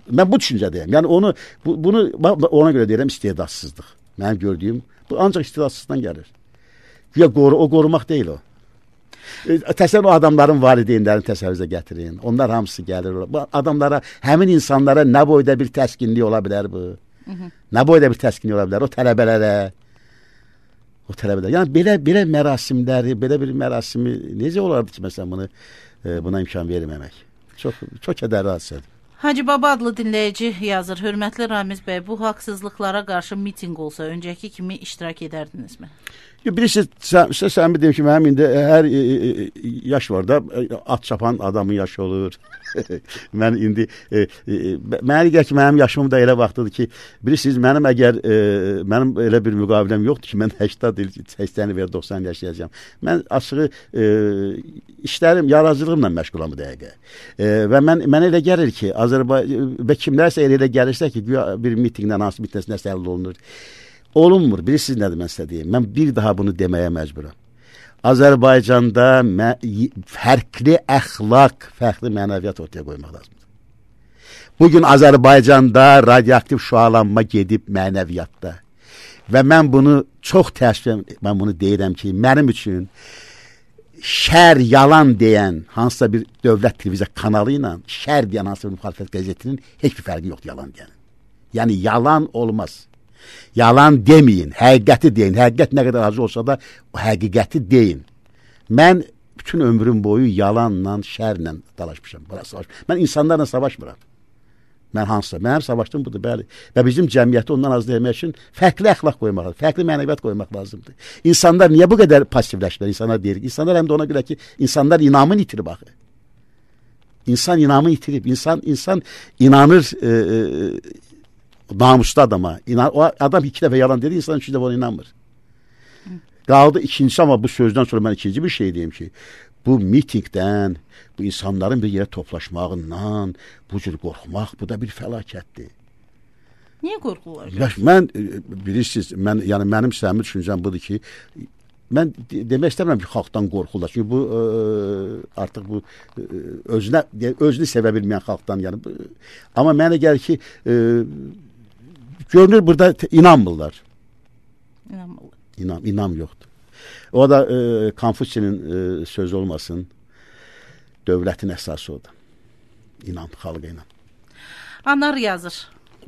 B: mən bu düşüncədəyəm. Yəni onu, bu, bunu ona görə deyirəm istedadsızlıq. Mənim gördüyüm, bu ancaq istedadsızdan gəlir. Ya qoru, o qorumaq deyil o. Təsəvvür o adamların valideynlərini təsəvvürə gətirin. Onlar hamısı gəlir. Bu adamlara, həmin insanlara nə boyda bir təskinlik ola bilər bu? Hı -hı. Nə boyda bir təskinlik ola bilər? O tələbələrə, o tələbələr. Yəni belə belə mərasimləri, belə bir mərasimi necə olardı ki, məsələn bunu e, buna imkan verməmək? Çox çox kədərli hadisədir.
A: Hacı Baba adlı dinləyici yazır. Hörmətli Ramiz bəy, bu haqsızlıqlara qarşı mitinq olsa öncəki kimi iştirak edərdinizmi?
B: Bilirsiniz, sən, sən deyim ki, mənim indi hər e, e, yaş var da, at çapan adamın yaşı olur. Mən indi, e, e, mənə gəlir ki, mənim yaşım da elə vaxtıdır ki, bilirsiniz, mənim əgər, e, mənim elə bir müqaviləm yoxdur ki, mən səksən il, səksən il və ya doxsan il yaşayacağım. Mən açığı e, işlərim, yaradıcılığımla məşğulam bu dəqiqə. E, və mən, mənə elə gəlir ki, Azərbaycan, və kimlərsə elə gəlirsə ki, bir mitingdən, hansı mitingdən nəsə əldə olunur. Olunmur. Bilirsiniz nədir mən sizə deyim? Mən bir daha bunu deməyə məcburam. Azərbaycanda fərqli əxlaq, fərqli mənəviyyat ortaya qoymaq lazımdır. Bugün Azərbaycanda radioaktiv şüalanma gedib mənəviyyatda. Və mən bunu çox təəssüf, mən bunu deyirəm ki, mənim üçün şər, yalan deyən hansısa bir dövlət televiziya kanalı ilə şər deyən hansısa bir müxalifət qəzetinin heç bir fərqi yoxdur yalan deyən. Yəni yalan olmaz. Yalan deməyin, həqiqəti deyin. Həqiqət nə qədər acı olsa da o həqiqəti deyin. Mən bütün ömrüm boyu yalanla, şərlə dalaşmışam. Mən insanlarla savaşmıram. Mən hansısa, mən həm savaşdım budur, bəli. Və bizim cəmiyyəti ondan az demək üçün fərqli əxlaq qoymaq lazımdır, fərqli mənəviyyat qoymaq lazımdır. İnsanlar niyə bu qədər passivləşdilər? İnsanlar deyir, insanlar həm də ona görə ki, insanlar inamını itirib axı. İnsan inamını itirib, insan insan inanır e, e, namuslu adama. İnan, o adam iki dəfə yalan dedi, insan üçüncü dəfə ona inanmır. Qaldı ikincisi, amma bu sözdən sonra mən ikinci bir şey deyim ki, bu mitingdən, bu insanların bir yerə toplaşmağından, bu cür qorxmaq, bu da bir fəlakətdir.
A: Niyə qorxurlar?
B: Ya, mən, bilirsiniz, mən, yəni mənim səmimi düşüncəm budur ki, mən demək istəmirəm ki, xalqdan qorxurlar. Çünki bu, ə, artıq bu, ə, özünə, özünü sevə bilməyən xalqdan, yəni, bu, amma mənə gəlir ki, ə, görünür burada inanmırlar.
A: İnanmırlar.
B: İnam, inam yoxdur. O da e, Konfutsiyinin e, sözü olmasın, dövlətin əsası odur. İnam, xalqa inam.
A: Anar yazır.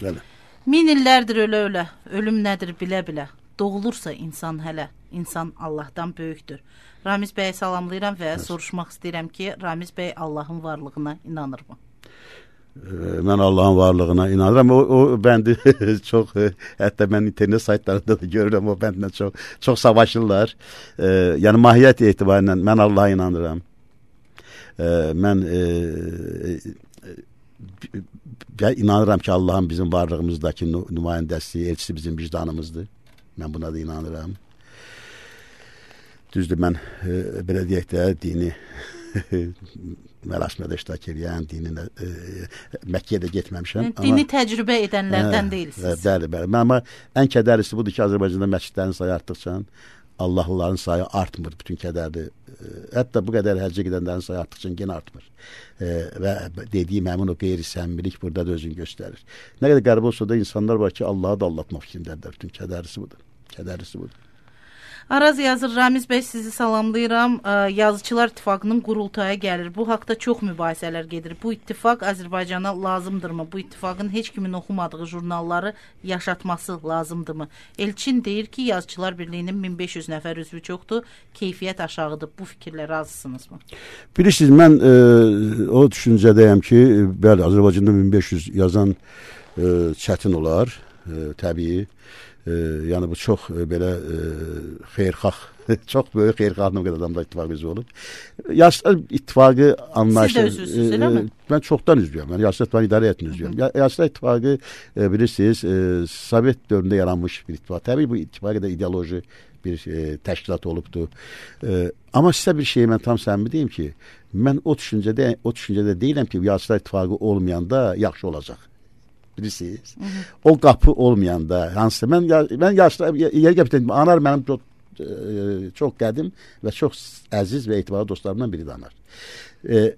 B: Bəli.
A: Min illərdir ölə-ölə, ölüm nədir bilə-bilə. Doğulursa insan hələ, insan Allahdan böyükdür. Ramiz bəyə salamlayıram və evet. soruşmaq istəyirəm ki, Ramiz bəy Allahın varlığına inanırmı?
B: Mən Allahın varlığına inanıram. O, o bəndi çox, hətta mən internet saytlarında da görürəm, o bəndlə çox, çox savaşırlar. E, yəni mahiyyət etibarıyla mən Allah'a inanıram. E, mən e, e, inanıram ki, Allah'ın bizim varlığımızdakı nümayəndəsi, elçisi bizim vicdanımızdır. Mən buna da inanıram. Düzdür, mən e, belə deyək də dini mərasimdə iştirak edən, dininə e, Məkkəyə də getməmişəm.
A: Dini amma, təcrübə edənlərdən deyilsiniz.
B: Bəli, bəli. Amma ən kədərlisi budur ki, Azərbaycanda məscidlərin sayı artdıqca Allahlıların sayı artmır, bütün kədərli. E, hətta bu qədər həccə gedənlərin sayı artdıqca yenə artmır. E, və dediyim həmin o qeyri-səmimilik burada da özünü göstərir. Nə qədər qəribə olsa da insanlar var ki, Allah'ı da aldatmaq fikrindədirlər. Bütün kədərlisi budur. Kədərlisi budur.
A: Araz yazır, Ramiz bəy sizi salamlayıram. Yazıçılar İttifaqının qurultaya gəlir. Bu haqda çox mübahisələr gedir. Bu ittifaq Azərbaycana lazımdırmı? Bu ittifaqın heç kimin oxumadığı jurnalları yaşatması lazımdırmı? Elçin deyir ki, Yazıçılar Birliyinin min beş yüz nəfər üzvü çoxdur, keyfiyyət aşağıdır. Bu fikirlə razısınızmı? Bilirsiniz,
B: mən e, o düşüncədəyəm ki, bəli, Azərbaycanda min beş yüz yazan e, çətin olar, e, təbii. E, yəni bu çox e, belə e, xeyirxah, çox böyük xeyirxahlıq qədər adamlar ittifaq üzvü olub. Yaşlılar İttifaqı anlayışı...
A: Siz də üzvüsünüz, elə mi?
B: E, mən çoxdan üzvüyəm. Yəni Yaşlılar İttifaqı idarə etən üzvüyəm. Yaşlılar İttifaqı e, bilirsiniz, e, Sovet dövründə yaranmış bir ittifaq. Təbii bu ittifaqı da ideoloji bir e, təşkilat olubdur. E, amma sizə bir şey mən tam səmimi deyim ki, mən o düşüncədə, o düşüncədə deyiləm ki, Yaşlılar İttifaqı olmayanda yaxşı olacaq. Bilirsiniz. Hı hı. O qapı olmayanda, hansısa, mən, mən yaşlı, yeri gəpirdim, Anar mənim çox, e, çox qədim və çox əziz və etibarlı dostlarımdan biridir Anar. E,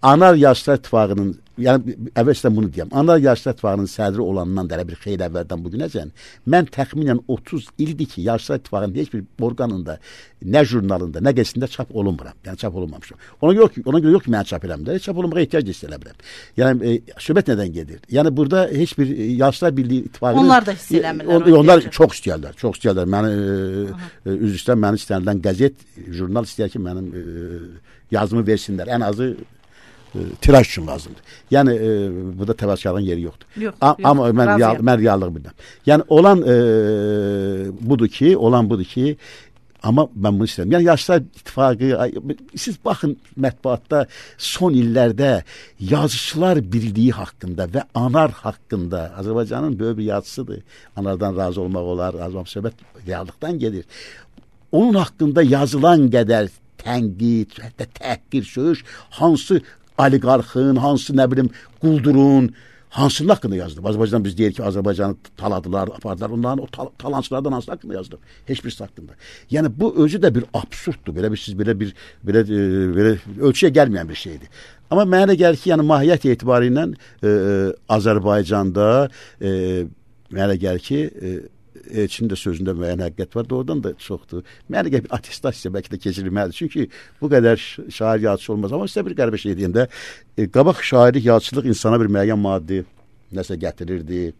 B: Anar Yaşlılar İttifaqının, yəni əvvəlcədən bunu deyəm, Anar Yaşlılar İttifaqının sədri olandan da bir xeyli əvvəldən bugünəcən, mən təxminən otuz ildir ki, Yaşlılar İttifaqının heç bir orqanında, nə jurnalında, nə qəzetində çap olunmuram. Yəni çap olunmamışam. Ona görə, ona görə yox ki, mən çap eləmirəm. Çap olunmağa ehtiyac hiss eləmirəm. Yəni e, söhbət nədən gedir? Yəni burada heç bir e, Yaşlılar Birliyi İttifaqının...
A: Onlar da hiss eləmirlər.
B: On, onlar çox istəyərlər, çox istəyərlər. Məni, e, e, üzr istəyirəm, məni istəyirlər qəzet, jurnal istəyər ki, mənim e, yazımı versinlər. Ən azı tiraj üçün lazımdır. Yəni e, burada təvəkkülün yeri yoxdur.
A: Yox,
B: A,
A: yox,
B: amma mən real, mən reallıq bilmirəm. Yəni olan e, budur ki, olan budur ki, amma mən bunu istəyirəm. Yəni Yaşlılar İttifaqı, siz baxın mətbuatda son illərdə Yazıçılar Birliyi haqqında və Anar haqqında, Azərbaycanın böyük bir yazıçısıdır. Anardan razı olmaq olar, razı olmaq söhbət reallıqdan gedir. Onun haqqında yazılan qədər tənqid, hətta təhqir, söyüş, hansı oliqarxın, hansı nə bilim quldurun, hansının haqqında yazdım? Azərbaycan biz deyir ki, Azərbaycanı taladılar, apardılar. Onların o tal talancılardan hansı haqqında yazdım? Heç birisi haqqında. Yəni bu özü də bir absurddur. Belə bir siz belə bir belə e, belə ölçüyə gəlməyən bir şeydir. Amma mənə elə gəlir ki, yəni mahiyyət etibarı ilə e, Azərbaycanda e, mənə elə gəlir ki, e, Elçinin də sözündə müəyyən həqiqət var, doğrudan da çoxdur. Mənə gəlir bir attestasiya bəlkə də keçirilməlidir. Çünki bu qədər şair yazıcı olmaz. Amma sizə bir qəribə şey deyim də, e, qabaq şairlik, yazıçılıq insana bir müəyyən maddi nəsə gətirirdi.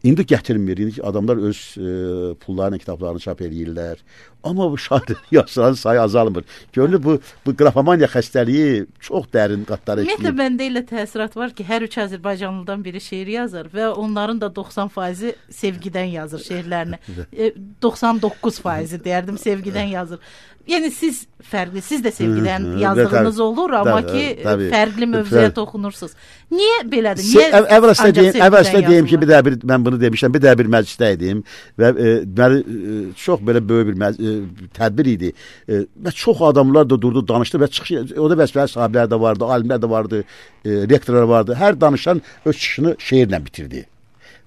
B: İndi gətirmir. İndi adamlar öz e, pullarla kitablarını çap edirlər. Amma bu şair yazıçıların sayı azalmır. Görünür bu bu qrafomaniya xəstəliyi çox dərin qatlara işləyir.
A: Ümumiyyətlə məndə elə təsirat var ki, hər üç Azərbaycanlıdan biri şeir yazır və onların da doxsan faizi sevgidən yazır şeirlərini. e, doxsan doqquz faizi deyərdim sevgidən yazır. Yəni siz fərqli, siz də sevgidən hı, hı, yazdığınız tabii, olur, amma tabii, ki tabii, fərqli mövzuya toxunursunuz. Niyə belədir? Niyə
B: əvvəlcə deyim, əvvəlcə deyim ki, bir də bir mən bunu demişəm, bir də bir məclisdə idim və e, məni e, çox belə böyük bir məclis, e, tədbir idi. E, və çox adamlar da durdu, danışdı və çıxış, o da vəzifəli sahiblər də vardı, alimlər də vardı, e, rektorlar vardı. Hər danışan öz çıxışını şeirlə bitirdi.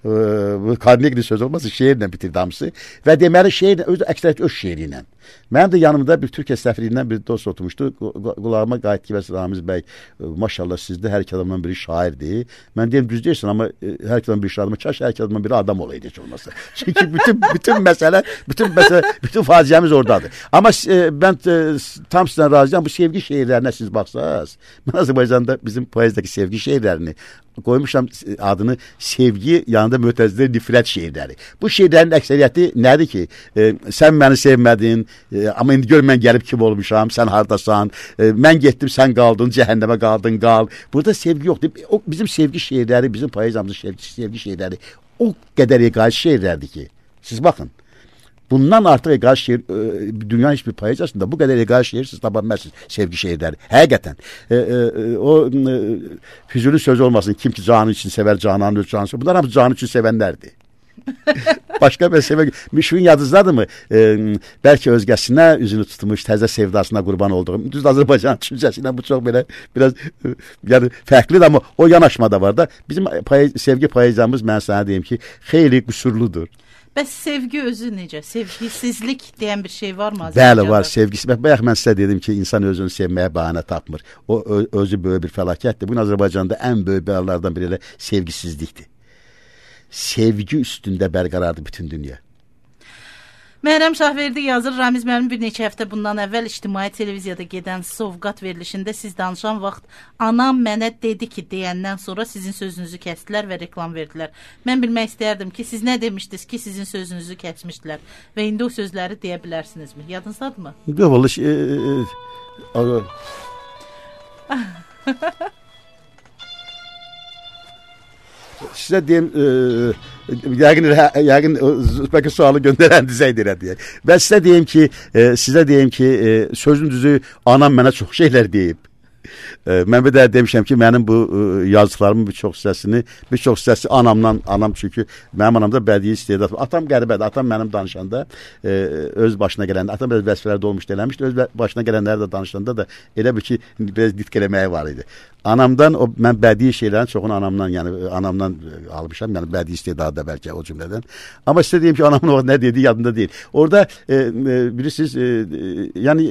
B: E, bu Karnegli söz olmasa şeirlə bitirdi hamısı və deməli şeirlə, öz əksəriyyət öz şeiri ilə. Mənim də yanımda bir Türkiyə səfirliyindən bir dost oturmuşdu. Qulağıma qayıtdı ki, Ramiz bəy, maşallah sizdə hər iki adamdan biri şairdir. Mən deyim, düz deyirsən, amma hər iki adamdan biri şairdir. Kaş hər iki adamdan biri adam olaydı heç olmasa. Çünki bütün bütün məsələ, bütün məsələ, bütün faciəmiz oradadır. Amma e, mən e, tam sizdən razıyam. Bu sevgi şeirlərinə siz baxsaz, mən Azərbaycanda bizim poezidəki sevgi şeirlərini qoymuşam adını sevgi yanında mötəzzilə nifrət şeirləri. Bu şeirlərin əksəriyyəti nədir ki? E, sən məni sevmədin, e, amma indi gör mən gəlib kim olmuşam, sən hardasan, e, mən getdim, sən qaldın, cəhənnəmə qaldın, qal. Burada sevgi yoxdur. O bizim sevgi şeirləri, bizim poeziyamızın sevgi, sevgi şeirləri o qədər eqaid şeirlərdir ki, siz baxın. Bundan artıq eqaid şeir, e, dünyanın hiçbir poeziyasında bu qədər eqaid şeir siz tapa bilmərsiniz, sevgi şeirləri. Həqiqətən. E, e, o e, Füzuli sözü olmasın, kim ki canı için sever, cananın öz canı. Bunlar hamısı canı için sevənlərdir. Başqa bir sevə, Müşfiqin yadınızdadır mı? E, bəlkə özgəsinə üzünü tutmuş, təzə sevdasına qurban olduğum. Düz Azərbaycan düşüncəsilə bu çox belə biraz e, yəni fərqlidir, amma o yanaşma da var da. Bizim poez, sevgi poeziyamız, mən sənə deyim ki, xeyli qüsurludur.
A: Bəs sevgi özü necə? Sevgisizlik deyən bir şey var mı?
B: Bəli, var. Sevgisi. Bayaq mən sizə dedim ki, insan özünü sevməyə bəhanə tapmır. O özü böyük bir fəlakətdir. Bugün Azərbaycanda ən böyük bəlalardan biri elə sevgisizlikdir. Sevgi üstündə bərqərardır bütün dünya.
A: Məhrəm Şahverdi yazır, Ramiz müəllim bir neçə həftə bundan əvvəl ictimai televiziyada gedən sovqat verilişində siz danışan vaxt anam mənə dedi ki deyəndən sonra sizin sözünüzü kəsdilər və reklam verdilər. Mən bilmək istəyərdim ki, siz nə demişdiniz ki, sizin sözünüzü kəsmişdilər və indi o sözləri deyə bilərsinizmi? Yadınızdadırmı?
B: Yox, vallahi e, e, sizə deyim, e, yəqin, yəqin bəlkə sualı göndərən dizəydir deyə. Və sizə deyim ki, e, sizə deyim ki, e, sözün düzü anam mənə çox şeylər deyib. E, mən bir də demişəm ki, mənim bu e, yazdıqlarımın bir çox hissəsini, bir çox hissəsi anamdan, anam çünki mənim anamda bədii istedad. Atam qəribədir. Atam mənim danışanda e, öz başına gələndə, atam öz vəzifələrdə olmuş eləmişdi. Öz başına gələnləri də danışanda da elə bir ki, biraz nitq eləməyi var idi. Anamdan, o, mən bədii şeylərin çoxunu anamdan, yəni anamdan almışam, yəni bədii istedadı da bəlkə o cümlədən. Amma sizə deyim ki, anamın o nə dediyi yadında deyil. Orada e, e, bilirsiniz, e, e, yəni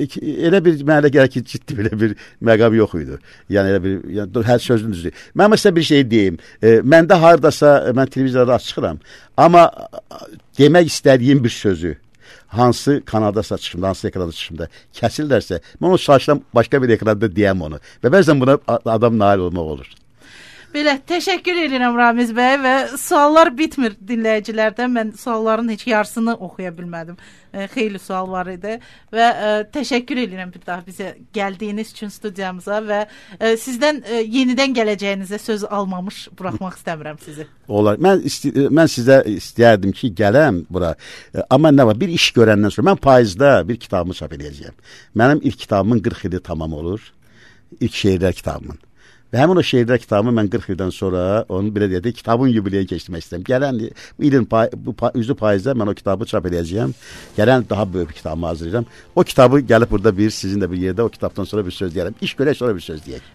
B: elə bir mənə gəlir ki, ciddi belə bir məqam yox idi. Yəni elə bir, yəni, hər sözün düzdür. Mən sizə bir şey deyim. E, məndə hardasa, mən televiziyada çıxıram, amma demək istədiyim bir sözü hansı kanaldasa çıxımda, hansı ekranda çıxımda kəsillərsə, mən o saçdan başqa bir ekranda deyəm onu. Və bəzən buna adam nail olmaq olur.
A: Belə, təşəkkür edirəm Ramiz bəy və suallar bitmir dinləyicilərdən. Mən sualların heç yarısını oxuya bilmədim. E, xeyli sual var idi və e, təşəkkür edirəm bir daha bizə gəldiyiniz üçün studiyamıza və e, sizdən e, yenidən gələcəyinizə söz almamış buraxmaq istəmirəm sizi. Olar.
B: Mən isti mən sizə istəyərdim ki, gələm bura. E, amma nə var? Bir iş görəndən sonra mən payızda bir kitabımı çap edəcəyəm. Mənim ilk kitabımın qırx ili tamam olur. İlk şeirlər kitabımın. Və həmin o şeirlər kitabımı mən qırx ildən sonra onu belə deyək, kitabın yubileyi keçirmək istəyirəm. Gələn ilin pay, bu pay, üzü payızda mən o kitabı çap edəcəyəm. Gələn daha böyük bir kitabımı hazırlayacağım. O kitabı gəlib burada bir, sizin də bir yerdə o kitabdan sonra bir söz deyərəm. İş görək sonra bir söz deyək.